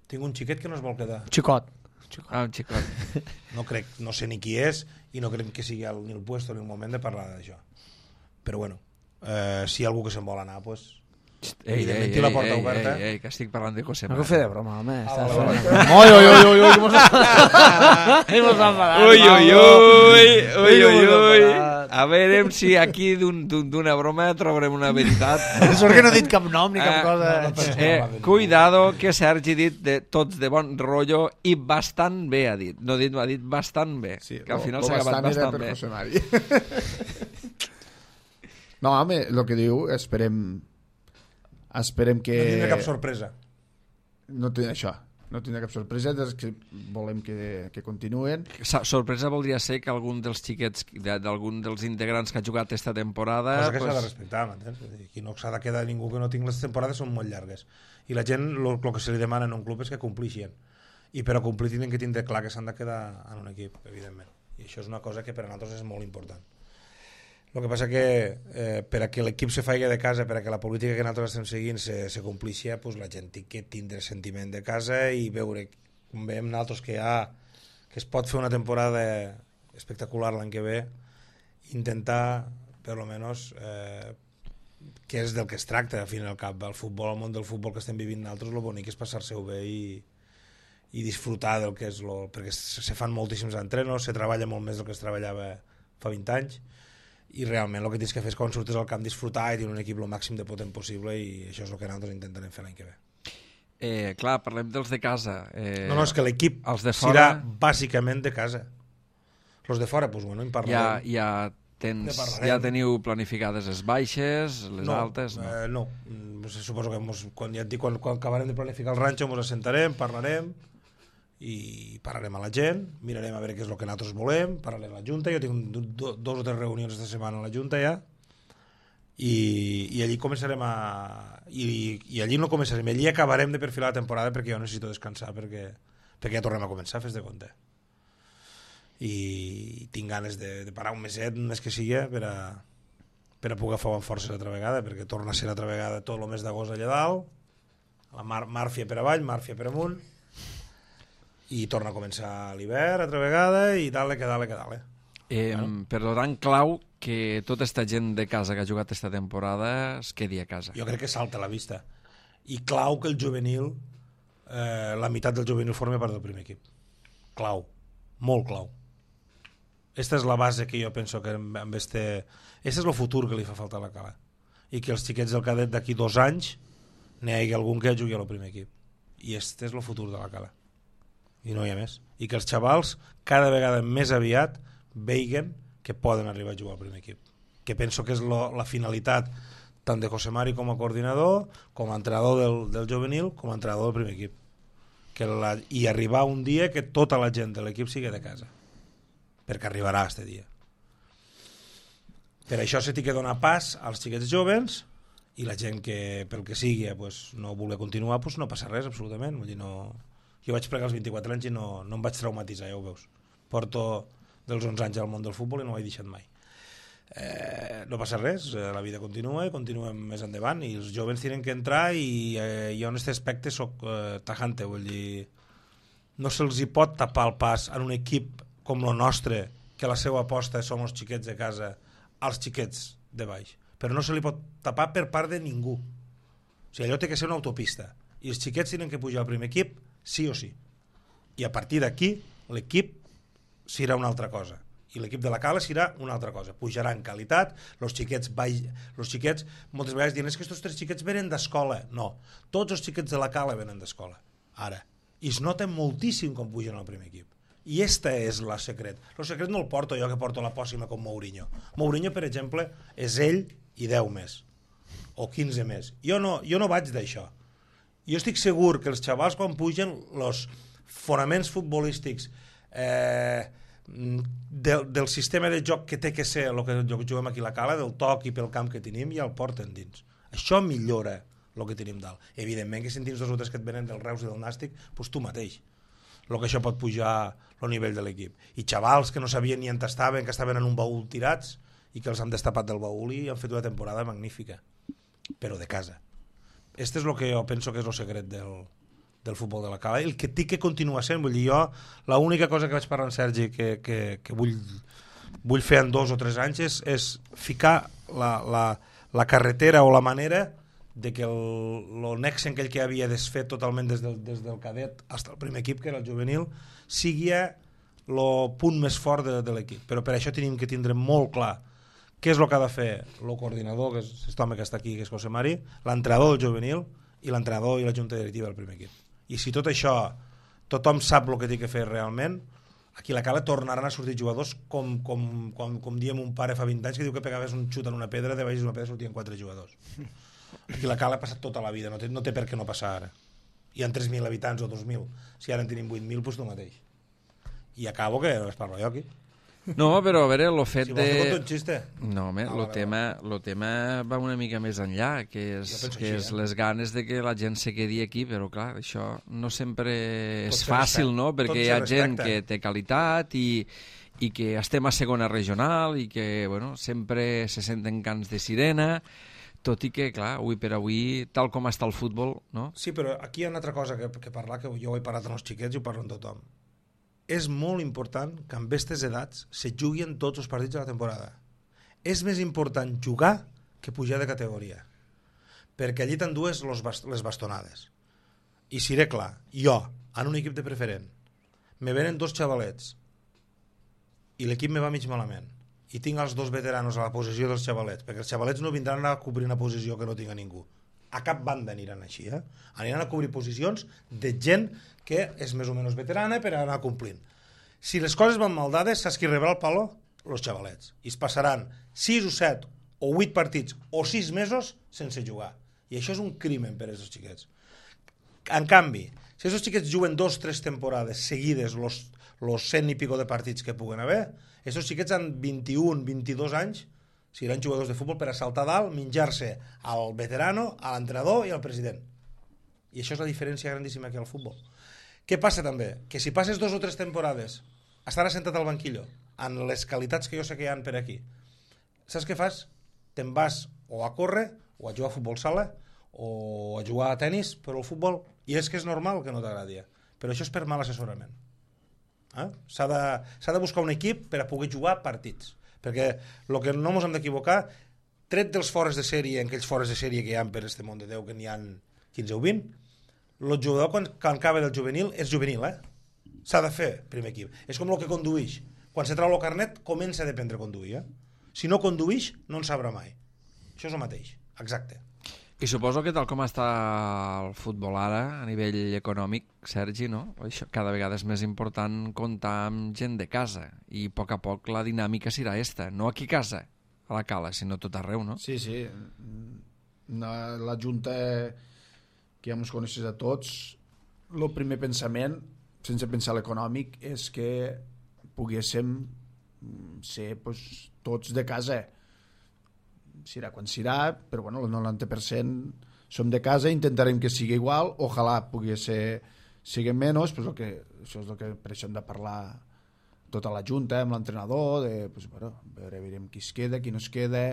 Tinc un xiquet que no es vol quedar. Xicot. Ah, un xicot. No crec, no sé ni qui és i no crec que sigui el, ni el puesto ni el moment de parlar d'això. Però bueno, eh, si hi ha algú que se'n vol anar, pues, Ei, ei, evidentment ei, té la ei, porta ei, oberta. ei, ei, que estic parlant de José No Mari. que fer de broma, home. Ah, Estàs vale, fent... Oi, oi, oi, oi, oi, com s'ha enfadat. Ui, ui, ui, ui, ui, ui. enfadat. A veure si aquí d'un- d'un- d'una broma trobarem una veritat. Sort que no he dit cap nom ni cap Eh, cosa. no, no, Eh, cuidado, que Sergi ha dit de tots de bon rotllo i bastant bé ha dit. No ha dit, ha dit bastant bé. Sí, que al lo- final lo s'ha acabat bastant era bastant per bé. José Mari. No, home, el que diu, esperem... Esperem que... No tindré cap sorpresa. No té això, no tindrà cap sorpresa, des que volem que, que continuen. Sa- Sorpresa voldria ser que algun dels xiquets, de- d'algun dels integrants que ha jugat esta temporada... Cosa que s'ha de pues, respectar, m'entens? Vull dir, aquí no s'ha de quedar ningú que no tingui, les temporades són molt llargues. I la gent, el que se li demana en un club és que complixin. I per a complir tenen que tindre clar que s'han de quedar en un equip, evidentment. I això és una cosa que per a nosaltres és molt important. El que passa que eh, per a que l'equip se faci de casa, per a que la política que nosaltres estem seguint se, se complixi, pues la gent té que tindre sentiment de casa i veure, com veiem nosaltres, que, ha, que es pot fer una temporada espectacular l'any que ve, intentar, per lo menos, eh, que és del que es tracta, al fin i al cap. El futbol, el món del futbol que estem vivint nosaltres, el bonic és passar-se-ho bé i, i disfrutar del que és... Lo, perquè se, se fan moltíssims entrenos, se treballa molt més del que es treballava fa vint anys, i realment el que tens que fer és quan surtes al camp disfrutar i tenir un equip el màxim de potent possible, i això és el que nosaltres intentarem fer l'any que ve. Eh, clar, parlem dels de casa. Eh, No, no, és que l'equip els de serà fora bàsicament de casa. Els de fora, doncs, bueno, en ja, parlarem. ja, Ne tens, parlarem. ja teniu planificades les baixes, les no, altes? No. Eh, no. Mm, suposo que mos, quan, ja et dic, quan, quan acabarem de planificar el ranxo ens assentarem, parlarem i parlarem a la gent, mirarem a veure què és el que nosaltres volem, parlarem a la Junta, jo tinc do, do, dos o tres reunions esta setmana a la Junta ja, i, i allí començarem a... I, i allí no començarem, allí acabarem de perfilar la temporada perquè jo necessito descansar, perquè, perquè ja tornem a començar, fes de compte. I tinc ganes de, de parar un meset, més que sigui, per a, per a poder fer amb forces altra vegada, perquè torna a ser altra vegada tot el mes d'agost allà dalt, la mar, Màrfia per avall, Màrfia per amunt, i torna a començar l'hivern altra vegada, i dale que dale que dale. Eh, bueno. Per tant, clau que tota esta gent de casa que ha jugat esta temporada es quedi a casa. Jo crec que salta a la vista. I clau que el juvenil, eh, la meitat del juvenil forma part del primer equip. Clau, molt clau. Esta és la base que jo penso que amb este... Este és el futur que li fa falta a la Cala. I que els xiquets del cadet d'aquí dos anys n'hi hagi algun que jugui al primer equip. I este és el futur de la Cala. I no hi ha més. I que els xavals cada vegada més aviat veiguen que poden arribar a jugar al primer equip. Que penso que és lo, la finalitat tant de José Mari com a coordinador, com a entrenador del, del juvenil, com a entrenador del primer equip. Que la, I arribar un dia que tota la gent de l'equip sigui de casa. Perquè arribarà aquest dia. Per això se t'hi que donar pas als xiquets joves i la gent que pel que sigui pues, no voler continuar, pues, no passa res absolutament. Vull dir, no... Jo vaig plegar als vint-i-quatre anys i no, no em vaig traumatitzar, ja ho veus. Porto dels onze anys al món del futbol i no ho he deixat mai. Eh, no passa res, la vida continua i continuem més endavant i els joves tenen que entrar i eh, jo en aquest aspecte soc eh, tajante, vull dir, no se'ls hi pot tapar el pas en un equip com el nostre, que la seva aposta són els xiquets de casa, als xiquets de baix, però no se li pot tapar per part de ningú. O sigui, allò té que ser una autopista i els xiquets tenen que pujar al primer equip sí o sí, i a partir d'aquí l'equip serà una altra cosa i l'equip de la Cala serà una altra cosa, pujarà en qualitat, els xiquets baix, els xiquets moltes vegades diuen és que aquests tres xiquets venen d'escola, no, tots els xiquets de la Cala venen d'escola, ara, i es nota moltíssim com pugen al primer equip. I este és el secret. El secret no el porto jo, que porto la pòssima com Mourinho. Mourinho, per exemple, és ell i deu més, o quinze més. Jo no, jo no vaig d'això. Jo estic segur que els xavals, quan pugen, els fonaments futbolístics eh, del, del sistema de joc que té que ser el que juguem aquí a la Cala, del toc i pel camp que tenim, ja el porten dins. Això millora el que tenim dalt. Evidentment que si en tens dos o tres que et venen del Reus i del Nàstic, doncs tu mateix. El que això pot pujar el nivell de l'equip. I xavals que no sabien ni on estaven, que estaven en un baúl tirats i que els han destapat del baúl i han fet una temporada magnífica, però de casa. Este és el que jo penso que és el secret del, del futbol de la Cala, el que té que continuar sent. Vull dir, jo, l'única cosa que vaig parlar amb Sergi que, que, que vull, vull fer en dos o tres anys és, és ficar la, la, la carretera o la manera de que el, el nexe aquell que havia desfet totalment des del, des del cadet fins al primer equip, que era el juvenil, sigui el punt més fort de, de l'equip. Però per això tenim que tindre molt clar què és el que ha de fer el coordinador, que és aquest home que està aquí, que és José Mari, l'entrenador del juvenil i l'entrenador i la junta directiva del primer equip. I si tot això tothom sap el que té que fer realment, aquí a la Cala tornaran a sortir jugadors com, com, com, com diem un pare fa vint anys que diu que pegaves un xut en una pedra, de baix d'una pedra sortien quatre jugadors. Aquí la Cala ha passat tota la vida, no té, no té per què no passar ara. Hi ha tres mil habitants o dos mil, si ara en tenim vuit mil, doncs tu mateix. I acabo que es parlo jo aquí. No, però a veure, el fet si de... Si vols fer un xiste. No, home, Ah, el vale, tema, lo tema va una mica més enllà, que és, Jo penso que així, és eh? les ganes de que la gent se quedi aquí, però clar, això no sempre Tot és se fàcil, respecta. no? Tot Perquè se hi ha gent respecta. que té qualitat i, i que estem a segona regional i que, bueno, sempre se senten cants de sirena, tot i que, clar, avui per avui, tal com està el futbol, no? Sí, però aquí hi ha una altra cosa que, que parlar, que jo ho he parlat amb els xiquets i ho parlo amb tothom. És molt important que amb aquestes edats se juguin tots els partits de la temporada. És més important jugar que pujar de categoria, perquè allí t'endues les bastonades. I seré clar, jo, en un equip de preferent, me venen dos xavalets i l'equip me va mig malament, i tinc els dos veteranos a la posició dels xavalets, perquè els xavalets no vindran a cobrir una posició que no tinga ningú. a cap banda aniran així, eh? Aniran a cobrir posicions de gent que és més o menys veterana per anar complint. Si les coses van mal dades, saps qui rebrà el palo? Los xavalets. I es passaran sis o set o vuit partits o sis mesos sense jugar. I això és un crimen per a aquests xiquets. En canvi, si aquests xiquets juguen dos o tres temporades seguides los, los cent i pico de partits que puguen haver, aquests xiquets han vint-i-un, vint-i-dos anys, seran jugadors de futbol per a saltar dalt, menjar-se al veterano, a l'entrenador i al president. I això és la diferència grandíssima que hi ha al futbol. Què passa també? Que si passes dos o tres temporades estar assentat al banquillo en les qualitats que jo sé que hi ha per aquí, saps què fas? Te'n vas o a córrer o a jugar a futbol sala o a jugar a tennis, però el futbol, i és que és normal que no t'agradi, però això és per mal assessorament. Eh? S'ha de, s'ha de buscar un equip per a poder jugar partits, perquè el que no ens hem d'equivocar, tret dels fores de sèrie, en aquells fores de sèrie que hi ha per este món de Déu, que n'hi ha quinze o vint, el jugador quan, quan acaba del juvenil és juvenil, eh? S'ha de fer primer equip. És com el que conduïix. Quan se trau el carnet, comença a dependre conduir. Eh? Si no conduïix, no en sabrà mai. Això és el mateix. Exacte. I suposo que tal com està el futbol ara, a nivell econòmic, Sergi, no? Això, cada vegada és més important comptar amb gent de casa i a poc a poc la dinàmica serà esta. No aquí a casa, a la cala, sinó tot arreu, no? Sí, sí. No, la Junta, que ja ens coneixes a tots, el primer pensament, sense pensar l'econòmic, és que poguéssim ser pues, tots de casa. Serà quan serà, però bueno, el noranta per cent som de casa, intentarem que sigui igual, ojalà pugui ser sigui menys, pues, que, això és el que per això hem de parlar tota la junta amb l'entrenador, de pues, bueno, veure, veurem qui es queda, qui no es queda,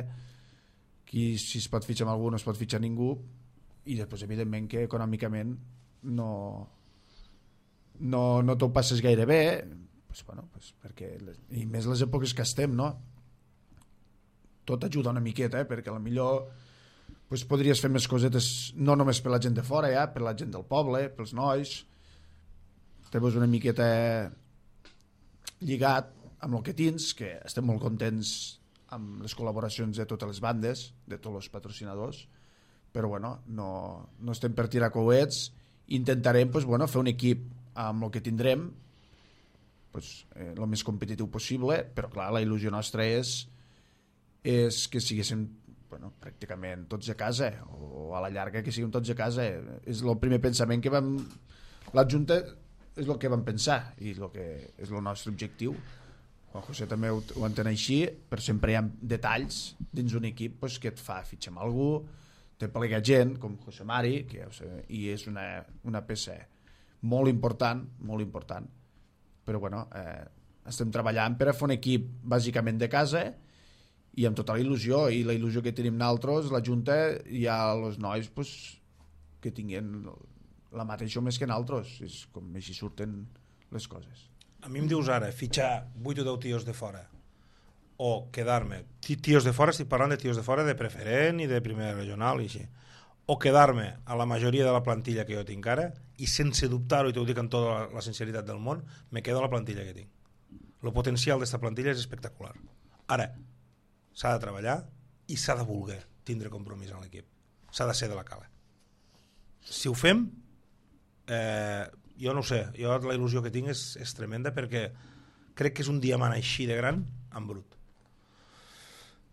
qui, si es pot fitxar amb algú no es pot fitxar ningú, i després evidentment que econòmicament no no, no t'ho passes gaire bé, pues, bueno, pues, perquè les, i més les èpoques que estem, no? Tot ajuda una miqueta, eh? Perquè potser pues, podries fer més cosetes no només per la gent de fora, ja, per la gent del poble, pels nois, te veus una miqueta lligat amb el que tens, que estem molt contents amb les col·laboracions de totes les bandes, de tots els patrocinadors, però bueno, no, no estem per tirar coets, intentarem pues, bueno, fer un equip amb el que tindrem pues, eh, el més competitiu possible, però clar, la il·lusió nostra és, és que siguéssim bueno, pràcticament tots a casa, o a la llarga que siguin tots a casa. És el primer pensament que vam... La Junta és el que vam pensar i el que és el nostre objectiu. Juan José també ho, ho entén així, però sempre hi ha detalls dins un equip pues, que et fa fitxar amb algú, te plega gent com José Mari, que ja ho sé, i és una, una peça molt important, molt important, però bueno, eh, estem treballant per a fer un equip bàsicament de casa i amb tota la il·lusió, i la il·lusió que tenim nosaltres, la Junta, hi ha els nois pues, que tinguin la mateixa més que nosaltres, és com així surten les coses. A mi em dius ara, fitxar vuit o deu tios de fora, o quedar-me, tios de fora, estic parlant de tios de fora de preferent i de primera regional i així, o quedar-me a la majoria de la plantilla que jo tinc ara i sense dubtar-ho, i t'ho dic amb tota la, la sinceritat del món, me quedo a la plantilla que tinc. El potencial d'esta plantilla és espectacular. Ara, s'ha de treballar i s'ha de voler tindre compromís en l'equip. S'ha de ser de la cala. Si ho fem, eh, jo no ho sé, jo la il·lusió que tinc és, és tremenda, perquè crec que és un diamant així de gran en brut.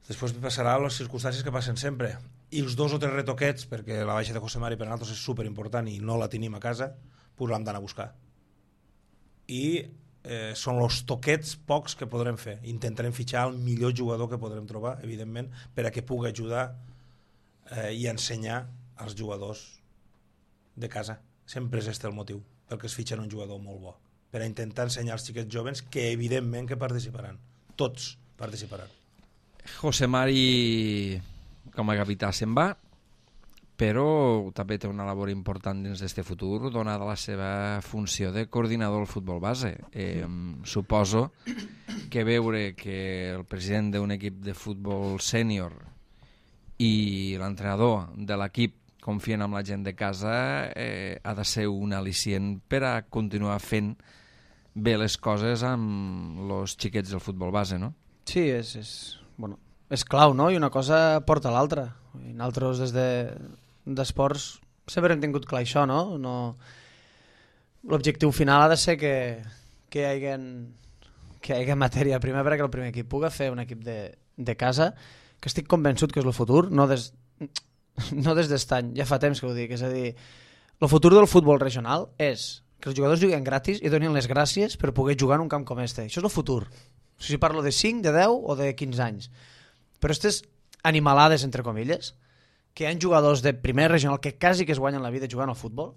Després passarà les circumstàncies que passen sempre, i els dos o tres retoquets, perquè la baixa de José Mari per a nosaltres és superimportant i no la tenim a casa, pues l'hem d'anar a buscar. I eh, són els toquets pocs que podrem fer. Intentarem fitxar el millor jugador que podrem trobar, evidentment, per a que pugui ajudar eh, i ensenyar als jugadors de casa. Sempre és este el motiu pel que es fitxen un jugador molt bo, per a intentar ensenyar als xiquets jovens que evidentment que participaran, tots participaran. José Mari com a capità se'n va, però també té una labor important dins d'este futur, donada la seva funció de coordinador del futbol base. Eh, suposo que veure que el president d'un equip de futbol sènior i l'entrenador de l'equip confien en la gent de casa eh, ha de ser un al·licient per a continuar fent bé les coses amb els xiquets del futbol base, no? Sí, és, és, bueno, és clau, no? I una cosa porta a l'altra. I nosaltres des de, d'esports sempre hem tingut clar això, no? no... L'objectiu final ha de ser que, que hi hagi que hi hagi matèria prima perquè el primer equip pugui fer un equip de, de casa, que estic convençut que és el futur, no des, no des d'estany, ja fa temps que ho dic, és a dir, el futur del futbol regional és que els jugadors juguen gratis i donin les gràcies per poder jugar en un camp com este. Això és el futur. Si parlo de cinc, de deu o de quinze anys. Però aquestes animalades, entre comilles, que hi ha jugadors de primera regional que quasi que es guanyen la vida jugant al futbol,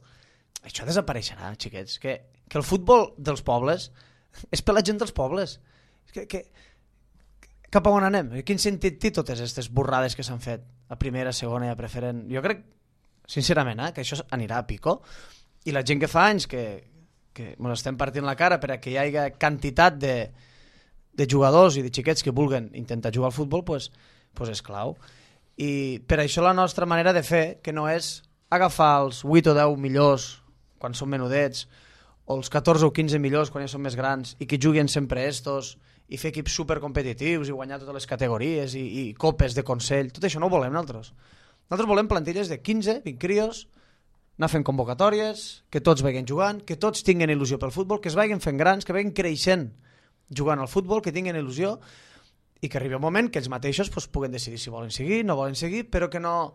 això desapareixerà, xiquets. Que, que el futbol dels pobles és per la gent dels pobles. Que, que, cap a on anem? Quin sentit té totes aquestes borrades que s'han fet a primera, segona i a preferent? Jo crec, sincerament, eh, que això anirà a pico. I la gent que fa anys que, que ens estem partint la cara perquè hi hagi quantitat de, de jugadors i de xiquets que vulguen intentar jugar al futbol, pues, pues és clau. I per això la nostra manera de fer, que no és agafar els vuit o deu millors quan són menudets, o els catorze o quinze millors quan ja són més grans, i que juguen sempre estos, i fer equips supercompetitius i guanyar totes les categories i, i copes de consell, tot això no ho volem nosaltres. Nosaltres volem plantilles de quinze, vint crios, anar fent convocatòries, que tots vagin jugant, que tots tinguin il·lusió pel futbol, que es vagin fent grans, que vagin creixent jugant al futbol, que tinguin il·lusió, i que arribi un moment que ells mateixos pues, puguen decidir si volen seguir, no volen seguir, però que no,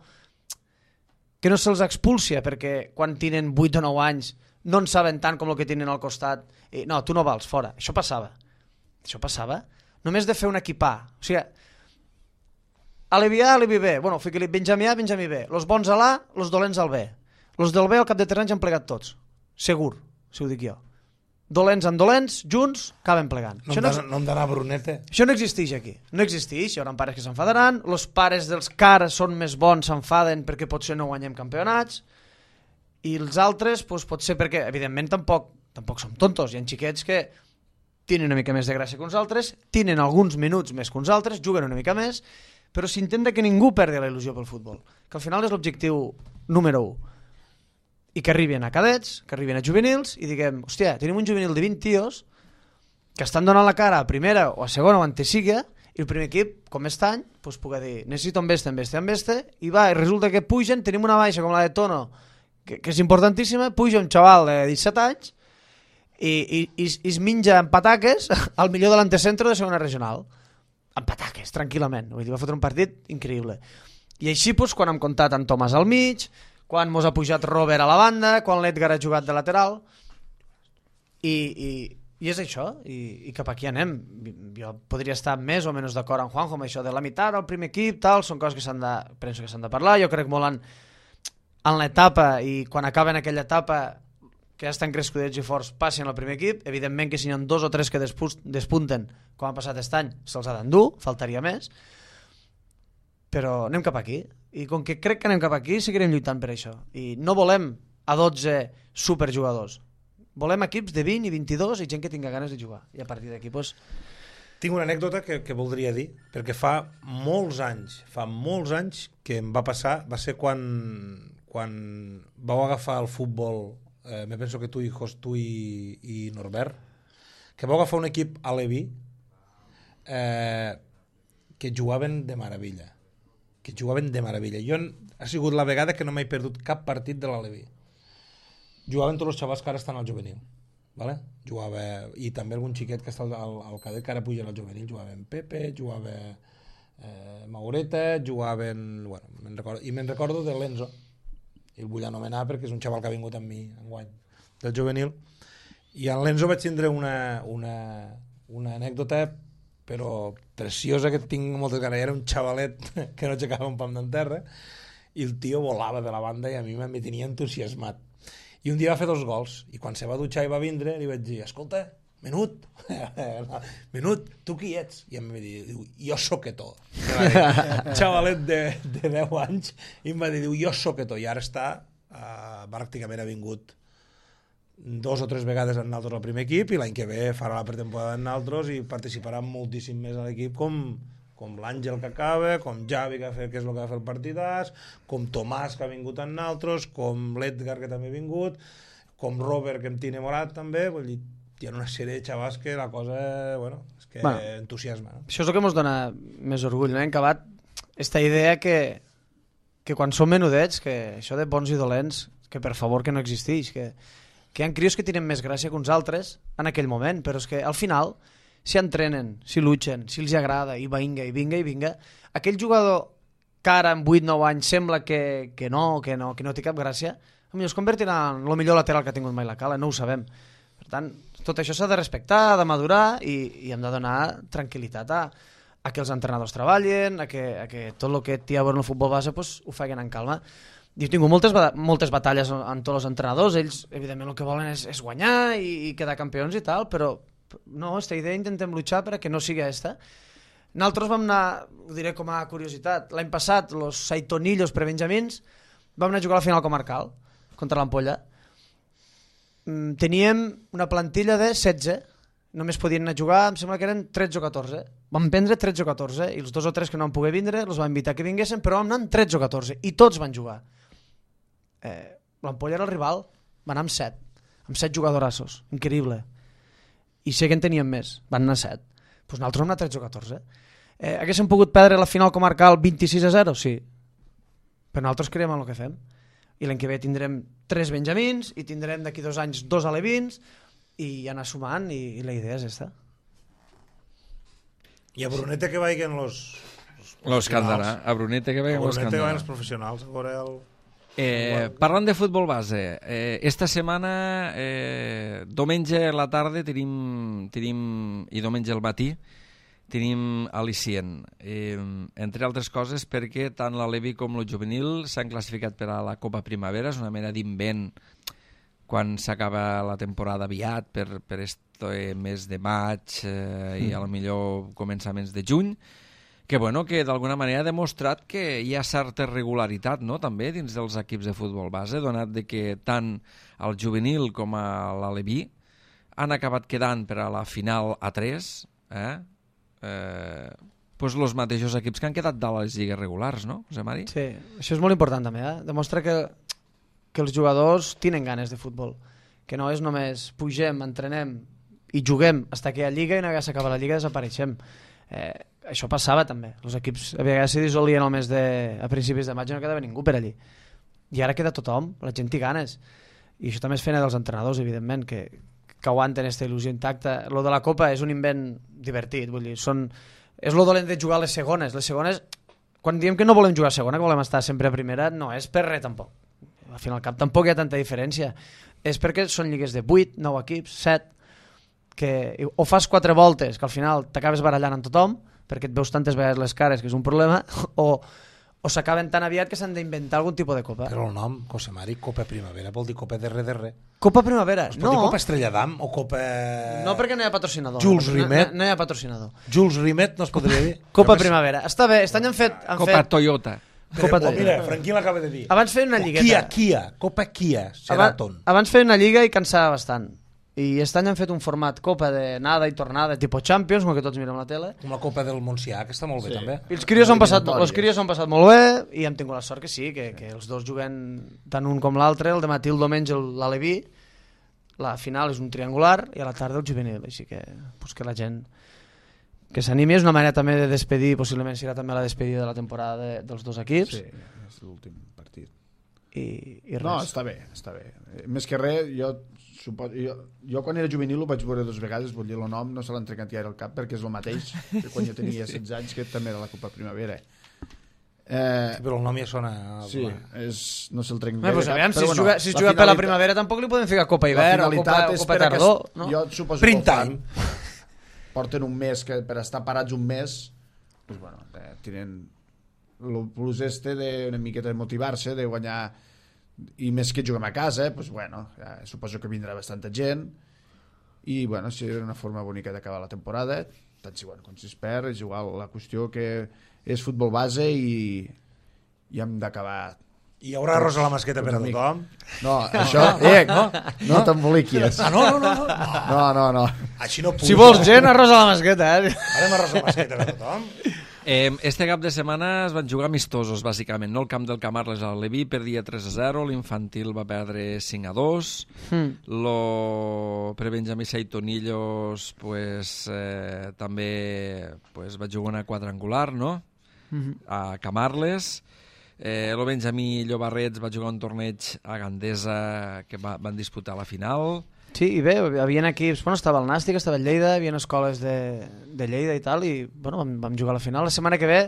que no se'ls expulsia, perquè quan tenen vuit o nou anys no en saben tant com el que tenen al costat. I, no, tu no vals, fora. Això passava. Això passava. Només de fer un equipar. O sigui, a l'E B A, a l'E B B. Bueno, fica-li Benjamí A, Benjamí B. Los bons a l'A, los dolents al B. Los del B al cap de tres anys han plegat tots. Segur, si ho dic jo. Dolents amb dolents, junts, acaben plegant. No, no, no hem d'anar a Brunete. Això no existeix aquí. No existeix. Hi haurà pares que s'enfadaran. Els pares dels cares són més bons, s'enfaden perquè potser no guanyem campionats. I els altres, doncs, potser perquè, evidentment, tampoc, tampoc som tontos. Hi ha xiquets que tenen una mica més de gràcia que uns altres, tenen alguns minuts més que uns altres, juguen una mica més, però s'intenta que ningú perdi la il·lusió pel futbol. Que al final és l'objectiu número u. I que arribin a cadets, que arribin a juvenils i diguem, hòstia, tenim un juvenil de vint tios que estan donant la cara a primera o a segona o a antesiga i el primer equip, com aquest any, doncs pugui dir, necessito amb este, amb este, amb este, i va, i resulta que pugen, tenim una baixa com la de Tono, que, que és importantíssima, puja un xaval de disset anys i, i, i, i es menja en pataques al millor de l'antecentro de segona regional. En pataques, tranquil·lament. Vull dir, va fotre un partit increïble. I així, doncs, quan hem comptat en Tomàs al mig, quan mos ha pujat Robert a la banda, quan l'Edgar ha jugat de lateral, i, i, i és això, i, i cap aquí anem. Jo podria estar més o menys d'acord amb Juanjo amb això de la meitat, el primer equip, tal, són coses que s'han de, penso que s'han de parlar. Jo crec molt en, en l'etapa, i quan acaben aquella etapa que ja estan crescudets i forts, passin al primer equip. Evidentment que si hi ha dos o tres que despunten, com ha passat aquest any, se'ls ha d'endur, faltaria més, però anem cap aquí. I com que crec que anem cap aquí, seguirem lluitant per això. I no volem a dotze superjugadors. Volem equips de vint i vint-i-dos i gent que tinga ganes de jugar. I a partir d'aquí, doncs... Tinc una anècdota que, que voldria dir, perquè fa molts anys, fa molts anys que em va passar, va ser quan, quan vau agafar el futbol, eh, me penso que tu i, tu i, i Norbert, que vau agafar un equip a l'E B I eh, que jugaven de meravella. que jugaven de meravella. Jo ha sigut la vegada que no m'he perdut cap partit de l'Aleví. Jugaven tots els xavals que ara estan al juvenil. ¿Vale? Jugava, i també algun xiquet que està al, al cadet que ara puja al juvenil. Jugaven Pepe, jugava eh, Maureta, jugaven... Bueno, me'n recordo, i me'n recordo de l'Enzo. I el vull anomenar perquè és un xaval que ha vingut amb mi enguany del juvenil. I en l'Enzo vaig tindre una, una, una anècdota però preciosa, que tinc moltes ganes. Era un xavalet que no aixecava un pam d'enterra i el tio volava de la banda i a mi me tenia entusiasmat. I un dia va fer dos gols i quan se va dutxar i va vindre li vaig dir, escolta, Menut, Menut, tu qui ets? I em va dir, jo Soquetó. Xavalet de, de deu anys i em va dir, jo Soquetó. I ara està, uh, pràcticament ha vingut dos o tres vegades en nosaltres al primer equip i l'any que ve farà la pretemporada en nosaltres i participarà moltíssim més a l'equip com, com l'Àngel que acaba, com Javi que, fet, que és el que va fer el partidàs, com Tomàs que ha vingut en nosaltres, com l'Edgar que també ha vingut, com Robert que em tiene morat també. Vull dir, hi ha una sèrie de xavals que la cosa, bueno, és que bueno, entusiasma. No? Això és el que ens dona més orgull, no? Hem acabat aquesta idea que que quan som menudets, que això de bons i dolents, que per favor que no existeix, que, que hi ha crios que tenen més gràcia que uns altres en aquell moment, però és que al final, si entrenen, si luchen, si els agrada, i vinga, i vinga, i vinga, aquell jugador que ara en vuit nou anys sembla que, que no, que no, que no té cap gràcia, potser es convertirà en el millor lateral que ha tingut mai la Cala, no ho sabem. Per tant, tot això s'ha de respectar, ha de madurar i, i hem de donar tranquil·litat a, a que els entrenadors treballen, a que, a que tot el que té a veure en el futbol base pues, ho facin en calma. Jo he tingut moltes, moltes batalles amb tots els entrenadors, ells evidentment el que volen és, és guanyar i, i quedar campions i tal, però no, aquesta idea intentem luchar perquè no sigui aquesta. Nosaltres vam anar, ho diré com a curiositat, l'any passat, els Saitonillos prebenjamins, vam anar a jugar a la final comarcal contra l'Ampolla. Teníem una plantilla de setze, només podien anar a jugar, em sembla que eren tretze o catorze. Vam prendre tretze o catorze, i els dos o tres que no van poder vindre, els van invitar que vinguessin, però vam anar amb tretze o catorze, i tots van jugar. Eh, L'Ampolla era el rival, van anar amb set, amb set jugadorassos, increïble. I sé que en teníem més, van anar set. Doncs nosaltres vam anar tretze o catorze. Eh, haguéssim pogut perdre la final comarcal vint-i-sis a zero? Sí. Però nosaltres creiem en el que fem. I l'any que ve tindrem tres benjamins, i tindrem d'aquí dos anys dos alevins, i anar sumant, i, i la idea és aquesta. I a Brunete que vagin los... Los que han d'anar. A Brunete que vagin los que han que d'anar. vagin els professionals. A veure el... Eh, parlant de futbol base, eh, esta setmana, eh, diumenge a la tarda tenim, tenim, i diumenge al matí, tenim al·licient. Eh, entre altres coses perquè tant l'Alevi com el juvenil s'han classificat per a la Copa Primavera, és una mena d'invent quan s'acaba la temporada aviat per, per este mes de maig eh, i a lo millor començaments de juny, que, bueno, que d'alguna manera ha demostrat que hi ha certa regularitat, no?, també dins dels equips de futbol base, donat de que tant el juvenil com a l'Aleví han acabat quedant per a la final A tres, eh? Eh, pues los mateixos equips que han quedat de les lligues regulars, no, José Mari? Sí, això és molt important també, eh? Demostra que, que els jugadors tenen ganes de futbol, que no és només pugem, entrenem i juguem fins que hi ha lliga i una vegada s'acaba la lliga desapareixem. Eh, això passava també, els equips a vegades se dissolien al mes de, a principis de maig i no quedava ningú per allí, i ara queda tothom, la gent té ganes, i això també és feina dels entrenadors, evidentment, que, que aguanten aquesta il·lusió intacta. Lo de la Copa és un invent divertit, vull dir, són, és lo dolent de jugar a les segones. Les segones, quan diem que no volem jugar a segona, que volem estar sempre a primera, no és per res tampoc, al final al cap tampoc hi ha tanta diferència, és perquè són lligues de vuit, nou equips, set, que o fas quatre voltes que al final t'acabes barallant amb tothom perquè et veus tantes vegades les cares que és un problema, o, o s'acaben tan aviat que s'han d'inventar algun tipus de copa. Però el nom, José Mari, Copa Primavera, vol dir Copa de R de R. Copa Primavera, Es no. pot dir Copa Estrella d'Am o Copa... No, perquè no hi ha patrocinador. Jules no, Rimet. No, no hi ha patrocinador. Jules Rimet no es podria dir? Copa Primavera. Està bé, aquest any han fet... Han Copa fet... Toyota. Copa Oh, mira, Toyota. Franquí l'acaba de dir. Abans feien una lligueta. Kia, Kia, Copa Kia, Sheraton. Abans, abans feien una lliga i cansava bastant. I aquest any han fet un format Copa de nada i tornada, tipus Champions, com que tots mirem la tele. Com la Copa del Montsià, que està molt bé, Sí. també. I els crios han passat, Eliminatòries. els crios han passat molt bé i hem tingut la sort que sí, que, que els dos juguen tant un com l'altre, el de matí el diumenge l'Aleví, la final és un triangular i a la tarda el juvenil, així que, pues que la gent que s'animi, és una manera també de despedir, possiblement serà també la despedida de la temporada de, dels dos equips. Sí, és l'últim partit. I, i res. No, està bé, està bé. Eh, Més que res, jo, suposo, jo, jo quan era juvenil ho vaig veure dues vegades, vull dir, el nom no se l'ha entregat ja al cap perquè és el mateix que quan jo tenia setze anys, que també era la Copa Primavera. Eh, Sí, però el nom ja sona... sí, és, no se'l trenc Bé, doncs, aviam, si es però juga, si es la juga per la finalitat- primavera tampoc li podem ficar Copa la Hivern o Copa, finalitat o és Copa per aquest- Tardor, no? Jo suposo Print que ho fan. time. Porten un mes que per estar parats un mes pues bueno, eh, tenen el plus este de una miqueta de motivar-se, de guanyar, i més que juguem a casa, pues bueno, ja, suposo que vindrà bastanta gent i bueno, si era una forma bonica d'acabar la temporada, tant si, bueno, com si es perd, és igual, la qüestió que és futbol base i, i hem d'acabar. Hi haurà arròs a la masqueta per a Amic. tothom. No, això, eh, no, no t'emboliquis. Ah, no, no, no. no. No, no, no. Així no puc. Si vols gent, arròs a la masqueta, eh? Farem arròs a la masqueta per a tothom. Eh, este cap de setmana es van jugar amistosos, bàsicament. No el camp del Camarles al Leví perdia tres a zero, l'infantil va perdre cinc a dos, Mm. lo prebenjamí Saitonillos pues, eh, també pues, va jugar una quadrangular, no? Mhm. A Camarles. Eh, el Benjamí Llobarrets va jugar un torneig a Gandesa que va, van disputar la final. Sí, i bé, hi havia equips, bueno, estava el Nàstic, estava el Lleida, hi havia escoles de, de Lleida i tal, i bueno, vam, vam jugar a la final. La setmana que ve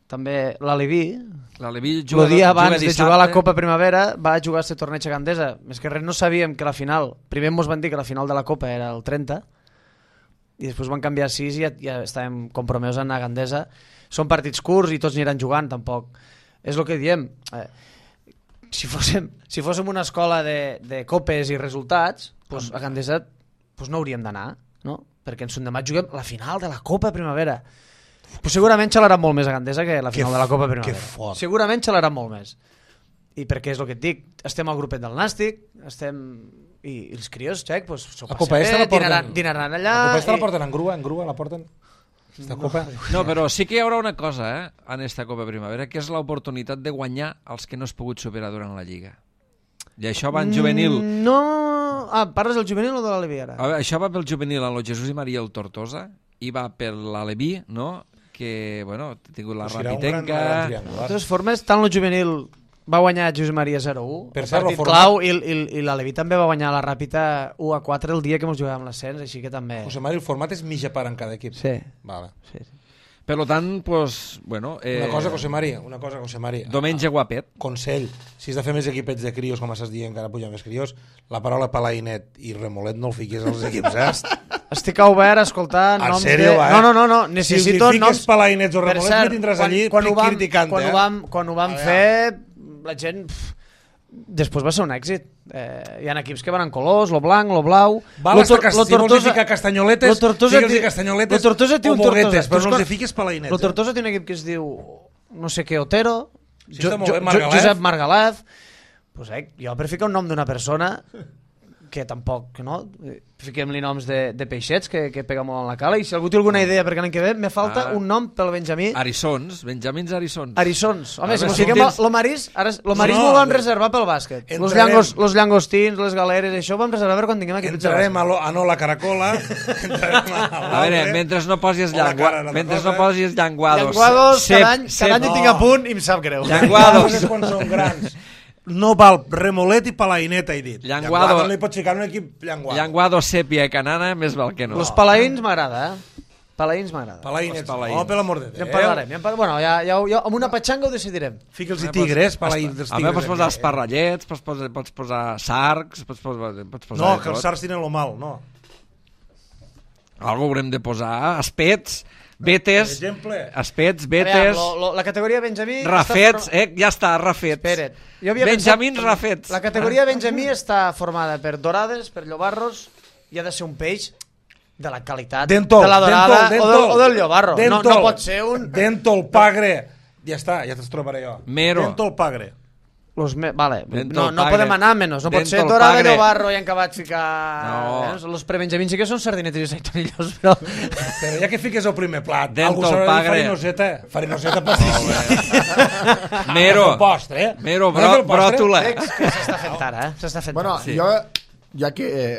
també l'Aleví, L'Aleví juga, el dia abans juga de jugar a la Copa Primavera, va jugar a aquest torneig a Gandesa. Més que res no sabíem que la final, primer ens van dir que la final de la Copa era el trenta, i després van canviar a sis i ja, ja estàvem compromesos a anar a Gandesa. Són partits curts i tots aniran jugant, tampoc. És el que diem. Eh, si, fóssim, si fóssim una escola de, de copes i resultats, pues, a Gandesa pues, no hauríem d'anar, no? Perquè en Sundemà juguem la final de la Copa Primavera. Pues segurament xalaran molt més a Gandesa que la final que de la Copa Primavera. Que fort. Segurament xalaran molt més. I perquè és el que et dic, estem al grupet del Nàstic, estem... I, i els crios, xec, pues, s'ho passen bé, la porten, dinaran, dinaran allà... La Copa esta i... la porten en grua, en grua la porten... Esta Copa... No, però sí que hi haurà una cosa, eh, en esta Copa Primavera, que és l'oportunitat de guanyar els que no has pogut superar durant la Lliga. I això va en juvenil... Mm, no... Ah, parles del juvenil o de l'Aleví ara? A veure, això va pel juvenil en el Jesús i Maria el Tortosa, i va per l'Aleví, no?, que, bueno, ha tingut la O sigui, era un Rapitenca... gran- gran triangular. De totes formes, tant el juvenil va guanyar Josep Maria zero a u, Per el cert, partit lo format- clau, i, i, i l'Aleví també va guanyar la Ràpita u a quatre el dia que ens jugàvem l'ascens, així que també... José Mari, el format és mitja part en cada equip. Sí. Vale. Sí, sí. Per tant, pues, bueno... Eh, Una cosa, José Mari, una cosa, José Mari. Diumenge guapet. Consell, si has de fer més equipets de crios, com estàs dient, que ara puja més crios, la paraula palainet i remolet no el fiquis als equips, eh? Estic obert a escoltar En noms sèrio, de... va, eh? No, no, no, no. Si necessito els hi fiques noms... palainets o Per remolets, cert, me tindràs quan- allí quan ho vam- criticant, quan eh? ho vam, quan ho vam A fer, la gent... Pff, després va ser un èxit. Eh, hi ha equips que van en colors, lo blanc, lo blau... Val Lo hasta Tor- que lo si vols Tortosa- ficar castanyoletes, lo Tortosa digue'ls té- castanyoletes lo Tortosa té o un boguetes, Tortosa. però Tu no els hi escol- fiques palainets. Lo Tortosa té un equip que es diu no sé què, Otero, Sí, està molt bé, Margalef. Josep Margalef. Pues, eh, jo per ficar un nom d'una persona que tampoc, no? Fiquem-li noms de, de peixets que, que pega molt en la cala, i si algú té alguna idea perquè l'any que ve, me falta Ah. un nom pel Benjamí. Arissons, Benjamins Arissons. Arissons. Home, A si veure, mos si fiquem tens- lo Marís, ara lo Marís No, no, m'ho vam no, reservar pel bàsquet. Los, entrarem. llangos, los llangostins, les galeres, això ho vam reservar per quan tinguem equips de Entrarem bàsquet. a, lo, a no la caracola, entrarem a, A veure, mentre no posis, O la llangua... cara, no mentre cosa. no posis llanguados... Llanguados, cep, cada any, cada any cep- ho tinc a punt i em sap greu. Llanguados. Llanguados quan són grans. No val remolet i palainet, he dit. Llanguado. Llanguado no li pots ficar en un equip llanguado. Llanguado, sèpia i canana, més val que no. Los palaïns m'agrada, eh? Palaïns m'agrada. Palainets. Els palaïns. Oh, per l'amor de Ja en Déu. parlarem. Ja en par... Bueno, ja, ja, ja, amb una patxanga ho decidirem. Fica'ls-hi tigres, palaïns dels A tigres. veure, pots posar aquí. esparrallets, pots posar, pots posar sarcs, pots posar, pots posar No, de que els tot. sards tenen lo mal, no. Algo haurem de posar, espets, betes, Per exemple. espets, Aviam, betes, lo, lo, la categoria Benjamí... rafets, està... eh, ja està, rafets. Espera't. Jo havia Benjamins pensat- rafets. La categoria Benjamí està formada per dorades, per llobarros, i ha de ser un peix de la qualitat Dentol, de la dorada dentol, o, del, o del llobarro. No, Dentol. no pot ser un... Dentol, pagre. Ja està, ja te'ls trobaré jo. Mero. Dentol, pagre. Los me... Vale, Dentol no, no pagre. podem anar menys. No pot ser Dentol dorada, pagre. llobarro i en acabat ficar... No. Eh? Los prebenjamins sí que són sardinetes i saitonillos, però... Però ja que fiques el primer plat, Dentol, algú s'haurà de dir pagre. farinoseta. Farinoseta pastissia. Mero, El postre, eh? mero, No bro, és el postre? bròtula. Veig que s'està fent ara, eh? S'està fent Bueno, ara. Sí. jo, ja que eh,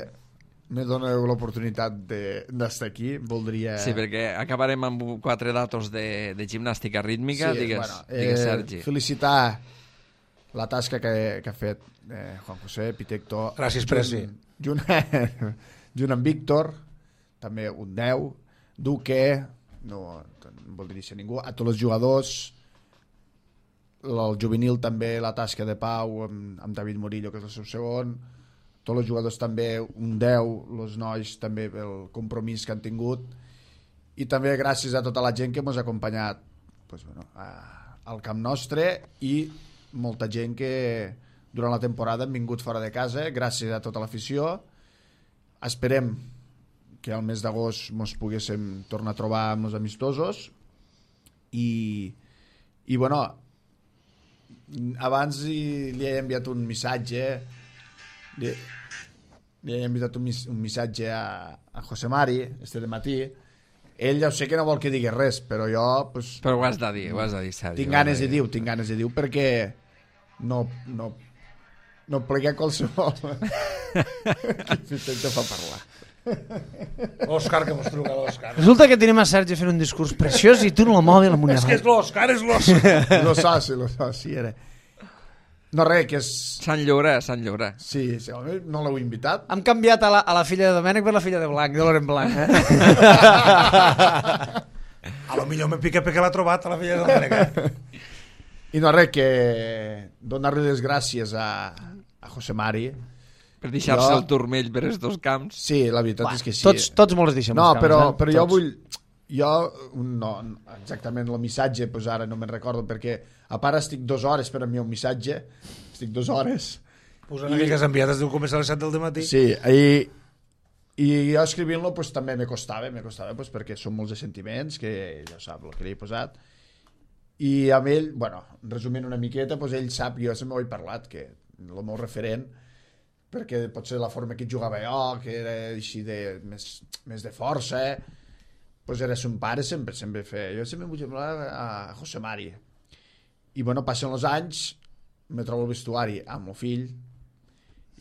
me doneu l'oportunitat de- d'estar aquí, voldria... Sí, perquè acabarem amb quatre datos de, de gimnàstica rítmica, Sí, digues, bueno, digues eh, Sergi. felicitar la tasca que, que ha fet eh, Juan José Pitecto. Gràcies, Presi. Junt, junt, junt amb Víctor, també un deu. Duque, no, no vol dir ningú. A tots els jugadors, el juvenil també, la tasca de Pau amb, amb David Murillo, que és el seu segon. Tots els jugadors també un deu, els nois també el compromís que han tingut, i també gràcies a tota la gent que ens ha acompanyat pues, bueno, a, al camp nostre, i molta gent que durant la temporada han vingut fora de casa, gràcies a tota l'afició. Esperem que al mes d'agost ens poguéssim tornar a trobar amb els amistosos, i, i bueno, abans li, li he enviat un missatge li, li he enviat un, mis, un missatge a, a José Mari este de matí. Ell ja ho sé que no vol que digui res, però jo pues, Però ho has de dir, ho has de dir, Sergi. tinc ganes de dir-ho, tinc ganes de dir-ho perquè no, no, no plegué qualsevol que intenta fa parlar. Òscar, que mos truca l'Òscar. Resulta que tenim a Sergi fent un discurs preciós i tu no el mòbil amb una És que és l'Òscar, és l'Òscar. Lo so, sí, lo so, sí, era. No, res, que és... Sant Llaurar, Sant Llaurar. Sí, sí, home, no l'heu invitat. Hem canviat a la, a la filla de Domènec per la filla de Blanc, de Loren Blanc, eh? A lo millor me pica perquè l'ha trobat a la filla de Domènec. I no, res, que donar-li les gràcies a, a José Mari. Per deixar-se Jo- el turmell per estos camps. Sí, la veritat Va, és que sí. tots, tots molt els deixem No, els camps, però, eh? però jo Tots. vull... Jo, no, exactament el missatge, pues ara no me'n recordo, perquè a part estic dues hores per enviar un missatge, estic dues hores. Pues una mica que has enviat, es diu començar a les set del matí. Sí, i, i jo escrivint-lo pues, també me costava, me costava pues, perquè són molts de sentiments, que ja sap el que li he posat. I amb ell, bueno, resumint una miqueta, pues, ell sap, jo sempre ho he parlat, que el meu referent, perquè potser la forma que jugava jo, que era així de, més, més de força, pues era son pare, sempre, sempre feia. Jo sempre vull semblar a José Mari. I bueno, passen els anys, me trobo el vestuari amb el fill,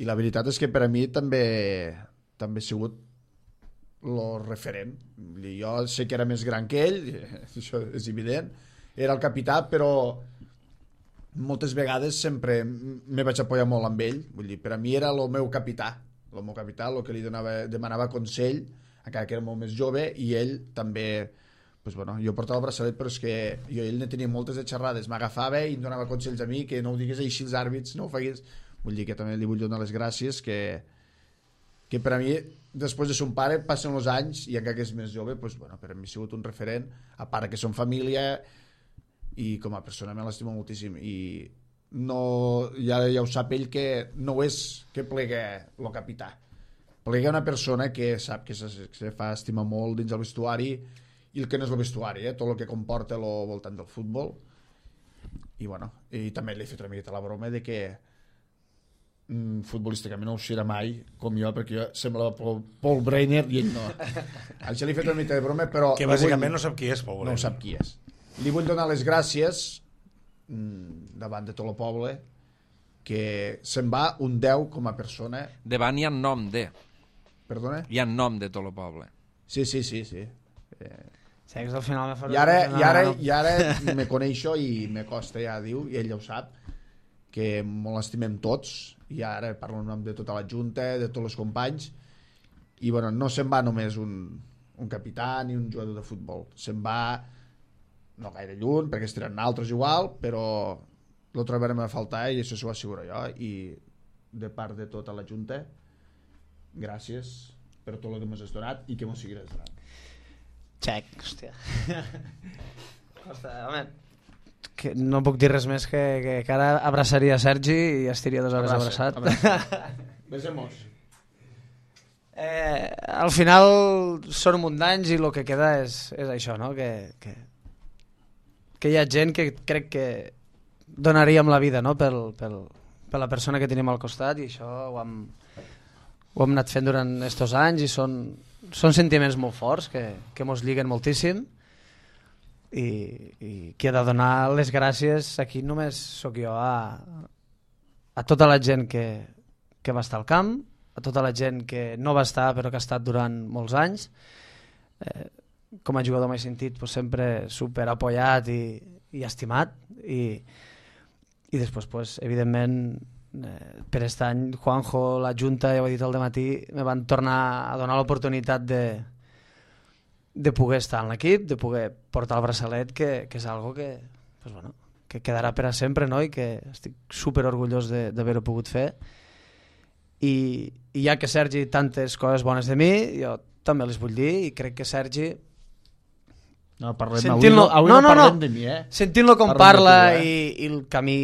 i la veritat és que per a mi també també ha sigut el referent. Vull dir, jo sé que era més gran que ell, això és evident, era el capità, però moltes vegades sempre me vaig apoyar molt amb ell. Vull dir, per a mi era el meu capità, el meu capità, el que li donava, demanava consell, encara que era molt més jove, i ell també, pues bueno, jo portava el braçalet, però és que jo ell ne tenia moltes de xerrades, m'agafava i em donava consells a mi, que no ho digués així els àrbits, no ho fagués. Vull dir que també li vull donar les gràcies, que, que per a mi, després de son pare, passen els anys, i encara que és més jove, pues bueno, per a mi ha sigut un referent, a part que som família, i com a persona me l'estimo moltíssim, i no, ja, ja ho sap ell, que no és que plega el capità, plega una persona que sap que se, se fa estimar molt dins el vestuari, i el que no és el vestuari, eh? Tot el que comporta al voltant del futbol. I bueno, i també li he fet una miqueta la broma de que mm, futbolísticament no ho serà mai com jo, perquè jo semblava Paul, Paul Breiner i ell no. Això li he fet una mica de broma, però Que bàsicament no sap qui és, Pau. no sap qui és. Li vull donar les gràcies mm, davant de tot el poble, que se'n va un deu com a persona. Davant hi ha nom de. Perdona? Hi ha nom de tot el poble. Sí, sí, sí, sí. Eh, Sí, que al final me fa... I ara, i ara, i ara me coneixo i me costa, ja diu, i ell ja ho sap, que molt l'estimem tots, i ara parlo en nom de tota la junta, de tots els companys, i bueno, no se'n va només un, un capità ni un jugador de futbol, se'n va no gaire lluny, perquè es tiren altres igual, però lo trobarem a faltar i això s'ho asseguro jo, i de part de tota la junta, gràcies per tot el que m'has donat i que m'ho seguiràs donant. Xec, hòstia. Hòstia, home, que no puc dir res més que, que, que ara abraçaria Sergi i estiria dues hores Abraça, abraçat. Besemos. Eh, al final són un munt d'anys i el que queda és, és això, no? Que, que, que hi ha gent que crec que donaríem la vida, no? pel, pel, per la persona que tenim al costat, i això ho hem, ho hem anat fent durant estos anys i són, són sentiments molt forts que, que mos lliguen moltíssim, i, i qui ha de donar les gràcies aquí només sóc jo a, a tota la gent que, que va estar al camp, a tota la gent que no va estar però que ha estat durant molts anys. Eh, com a jugador m'he sentit pues, sempre super apoyat i, i estimat, i, i després pues, evidentment eh, per aquest any Juanjo, la Junta, ja ho he dit al dematí, me van tornar a donar l'oportunitat de, de poder estar en l'equip, de poder portar el braçalet, que, que és algo que, pues, bueno, que quedarà per a sempre, no? I que estic super orgullós d'haver-ho pogut fer. I, i ja que Sergi tantes coses bones de mi, jo també les vull dir, i crec que Sergi, No, parlem, avui, Sentint-lo- no, avui no, no, no, parlem no. de mi, eh? sentint-lo com Parlem de parla tu, eh? i, i el camí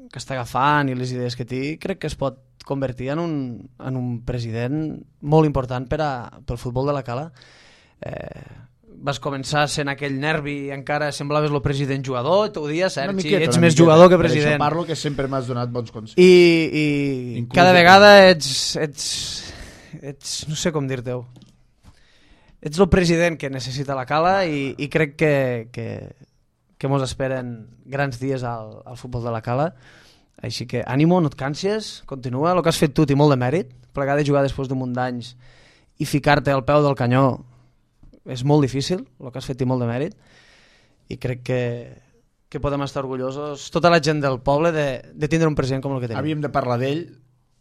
que està agafant i les idees que té, crec que es pot convertir en un, en un president molt important per a, pel futbol de la Cala. Eh, vas començar sent aquell nervi i encara semblaves el president jugador, t'ho dia, Una Sergi, miqueta, ets una més miqueta. jugador que Per president. això parlo, que sempre m'has donat bons consells. I, i Inclús cada de vegada ets, ets, ets, no sé com dir-te-ho, ets el president que necessita la Cala, i, i crec que, que, que mos esperen grans dies al, al futbol de la Cala. Així que ànimo, no et cansis, continua, el que has fet tu té molt de mèrit, plegar de jugar després d'un munt d'anys i ficar-te al peu del canyó és molt difícil, el que has fet i molt de mèrit, i crec que, que podem estar orgullosos, tota la gent del poble, de, de tindre un president com el que tenim. Havíem de parlar d'ell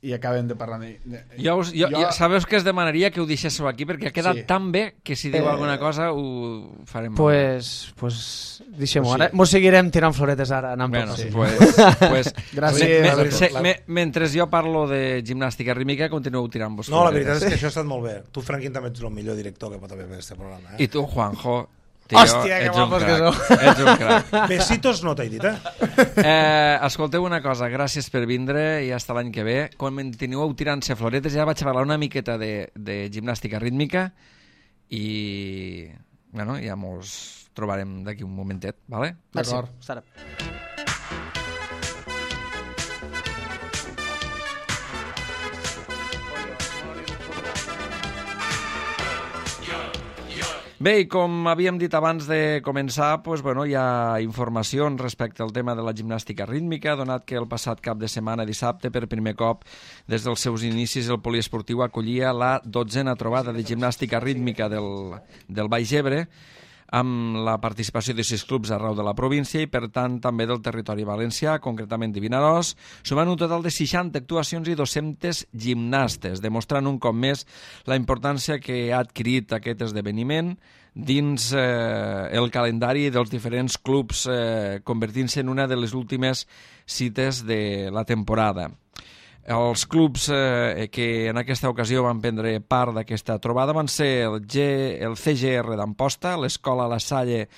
i acabem de parlar d'ell. Jo, us, jo, jo... Sabeu que es demanaria que ho deixéssiu aquí perquè ha quedat Sí. tan bé que si diu Eh, alguna cosa ho farem. Pues, pues deixem-ho Pues sí. ara. Mos seguirem tirant floretes ara, anant Bueno, pel sí. sí. pues, pues, Gràcies, me, me, Alberto. se, me, mentre jo parlo de gimnàstica rítmica, continueu tirant-vos No, la floretes. veritat és que això ha estat molt bé. Tu, Franquín, també ets el millor director que pot haver en aquest programa. Eh? I tu, Juanjo, tio, Hòstia, que ets un guapos que crac. sou. Ets un crac. Besitos no t'he dit, eh? Eh, escolteu una cosa, gràcies per vindre i hasta l'any que ve. Quan continueu tirant-se floretes, ja vaig a parlar una miqueta de, de gimnàstica rítmica i bueno, ja mos trobarem d'aquí un momentet, vale? D'acord. Hasta ara. Bé, i com havíem dit abans de començar, pues, bueno, hi ha informacions respecte al tema de la gimnàstica rítmica, donat que el passat cap de setmana, dissabte, per primer cop, des dels seus inicis, el poliesportiu acollia la dotzena trobada de gimnàstica rítmica del, del Baix Ebre, amb la participació de sis clubs arreu de la província i, per tant, també del territori valencià, concretament de Vinaròs, sumant un total de seixanta actuacions i dos-centes gimnastes, demostrant un cop més la importància que ha adquirit aquest esdeveniment dins eh, el calendari dels diferents clubs, eh, convertint-se en una de les últimes cites de la temporada. Els clubs eh, que en aquesta ocasió van prendre part d'aquesta trobada van ser el, G, el C G R d'Amposta, l'Escola La Salle,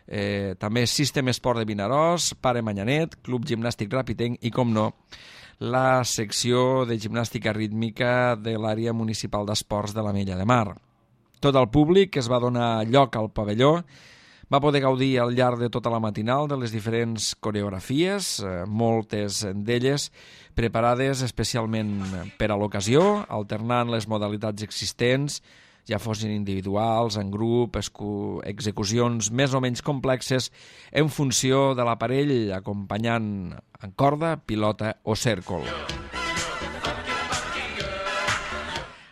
eh, també System Esport de Vinaròs, Pare Manyanet, Club Gimnàstic Rapitenc i, com no, la secció de gimnàstica rítmica de l'àrea municipal d'esports de la Mella de Mar. Tot el públic que es va donar lloc al pavelló va poder gaudir al llarg de tota la matinal de les diferents coreografies, eh, moltes d'elles preparades especialment per a l'ocasió, alternant les modalitats existents, ja fossin individuals, en grup, execucions més o menys complexes en funció de l'aparell, acompanyant en corda, pilota o cèrcol.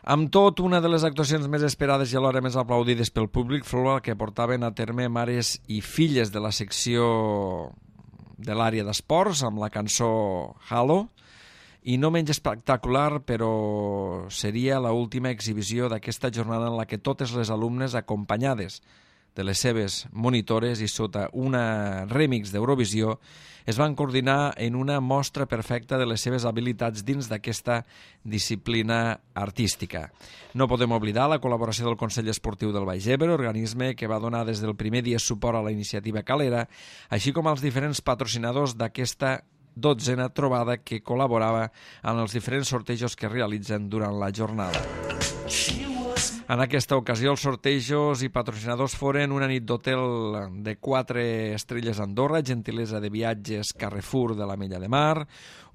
Amb tot, una de les actuacions més esperades i alhora més aplaudides pel públic fou la que portaven a terme mares i filles de la secció de l'àrea d'esports amb la cançó Halo, i no menys espectacular, però seria l'última exhibició d'aquesta jornada en la que totes les alumnes, acompanyades de les seves monitores i sota una remix d'Eurovisió, es van coordinar en una mostra perfecta de les seves habilitats dins d'aquesta disciplina artística. No podem oblidar la col·laboració del Consell Esportiu del Baix Ebre, organisme que va donar des del primer dia suport a la iniciativa Calera, així com als diferents patrocinadors d'aquesta dotzena trobada que col·laborava en els diferents sortejos que realitzen durant la jornada. En aquesta ocasió, els sortejos i patrocinadors foren una nit d'hotel de quatre estrelles a Andorra, gentilesa de viatges Carrefour de la Mella de Mar,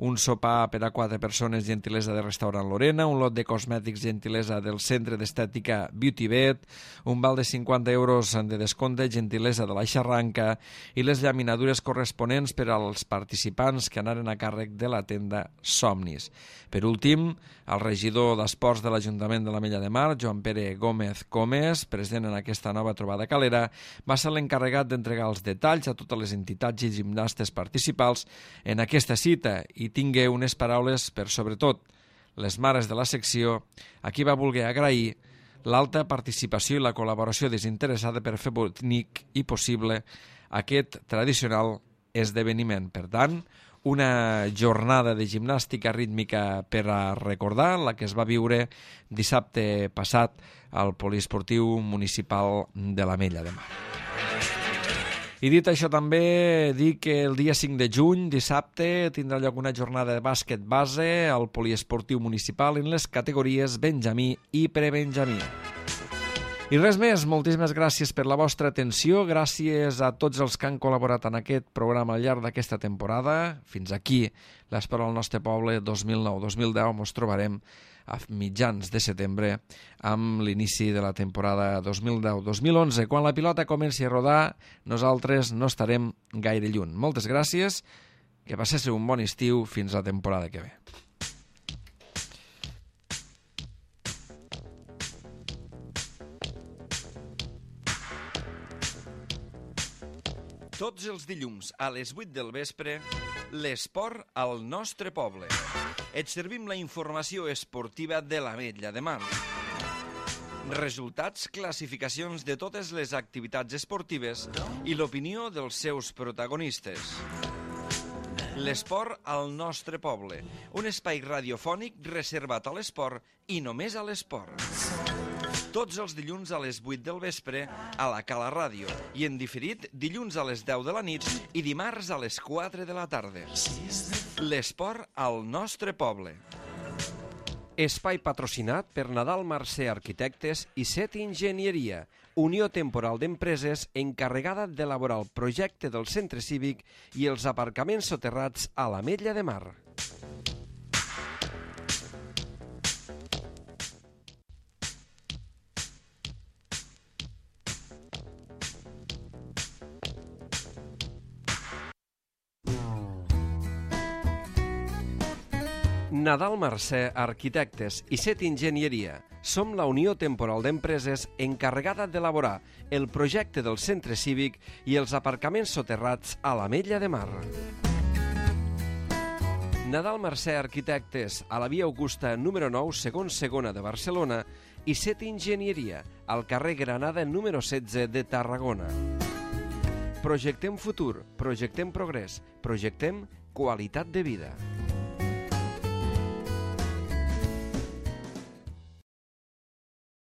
un sopar per a quatre persones, gentilesa de restaurant Lorena, un lot de cosmètics, gentilesa del centre d'estètica Beauty Bet, un val de cinquanta euros de descompte, gentilesa de la Xarranca, i les llaminadures corresponents per als participants que anaren a càrrec de la tenda Somnis. Per últim, el regidor d'Esports de l'Ajuntament de la Mella de Mar, Joan Pere Gómez Gómez, present en aquesta nova trobada calera, va ser l'encarregat d'entregar els detalls a totes les entitats i gimnastes participants en aquesta cita i tingué unes paraules per, sobretot, les mares de la secció, a qui va voler agrair l'alta participació i la col·laboració desinteressada per fer bonic i possible aquest tradicional esdeveniment. Per tant, una jornada de gimnàstica rítmica per a recordar, la que es va viure dissabte passat al poliesportiu municipal de la Mella de Mar. I dit això, també dic que el dia cinc de juny, dissabte, tindrà lloc una jornada de bàsquet base al poliesportiu municipal en les categories Benjamí i Prebenjamí. I res més, moltíssimes gràcies per la vostra atenció, gràcies a tots els que han col·laborat en aquest programa al llarg d'aquesta temporada. Fins aquí l'Esport al nostre poble dos mil nou dos mil deu. Ens trobarem a mitjans de setembre amb l'inici de la temporada dos mil deu dos mil onze. Quan la pilota comenci a rodar, nosaltres no estarem gaire lluny. Moltes gràcies, que passéssiu un bon estiu fins la temporada que ve. Tots els dilluns a les vuit del vespre, l'esport al nostre poble. Et servim la informació esportiva de l'Ametlla de Mar. Resultats, classificacions de totes les activitats esportives i l'opinió dels seus protagonistes. L'esport al nostre poble, un espai radiofònic reservat a l'esport i només a l'esport. Tots els dilluns a les vuit del vespre a la Cala Ràdio i en diferit dilluns a les deu de la nit i dimarts a les quatre de la tarda. L'esport al nostre poble. Espai patrocinat per Nadal Mercè Arquitectes i Set Enginyeria, unió temporal d'empreses encarregada d'elaborar el projecte del centre cívic i els aparcaments soterrats a l'Ametlla de Mar. Nadal Mercè Arquitectes i Set Enginyeria. Som la unió temporal d'empreses encarregada d'elaborar el projecte del centre cívic i els aparcaments soterrats a l'Ametlla de Mar. Nadal Mercè Arquitectes a la via Augusta número nou, segon segona de Barcelona i Set Enginyeria al carrer Granada número setze de Tarragona. Projectem futur, projectem progrés, projectem qualitat de vida.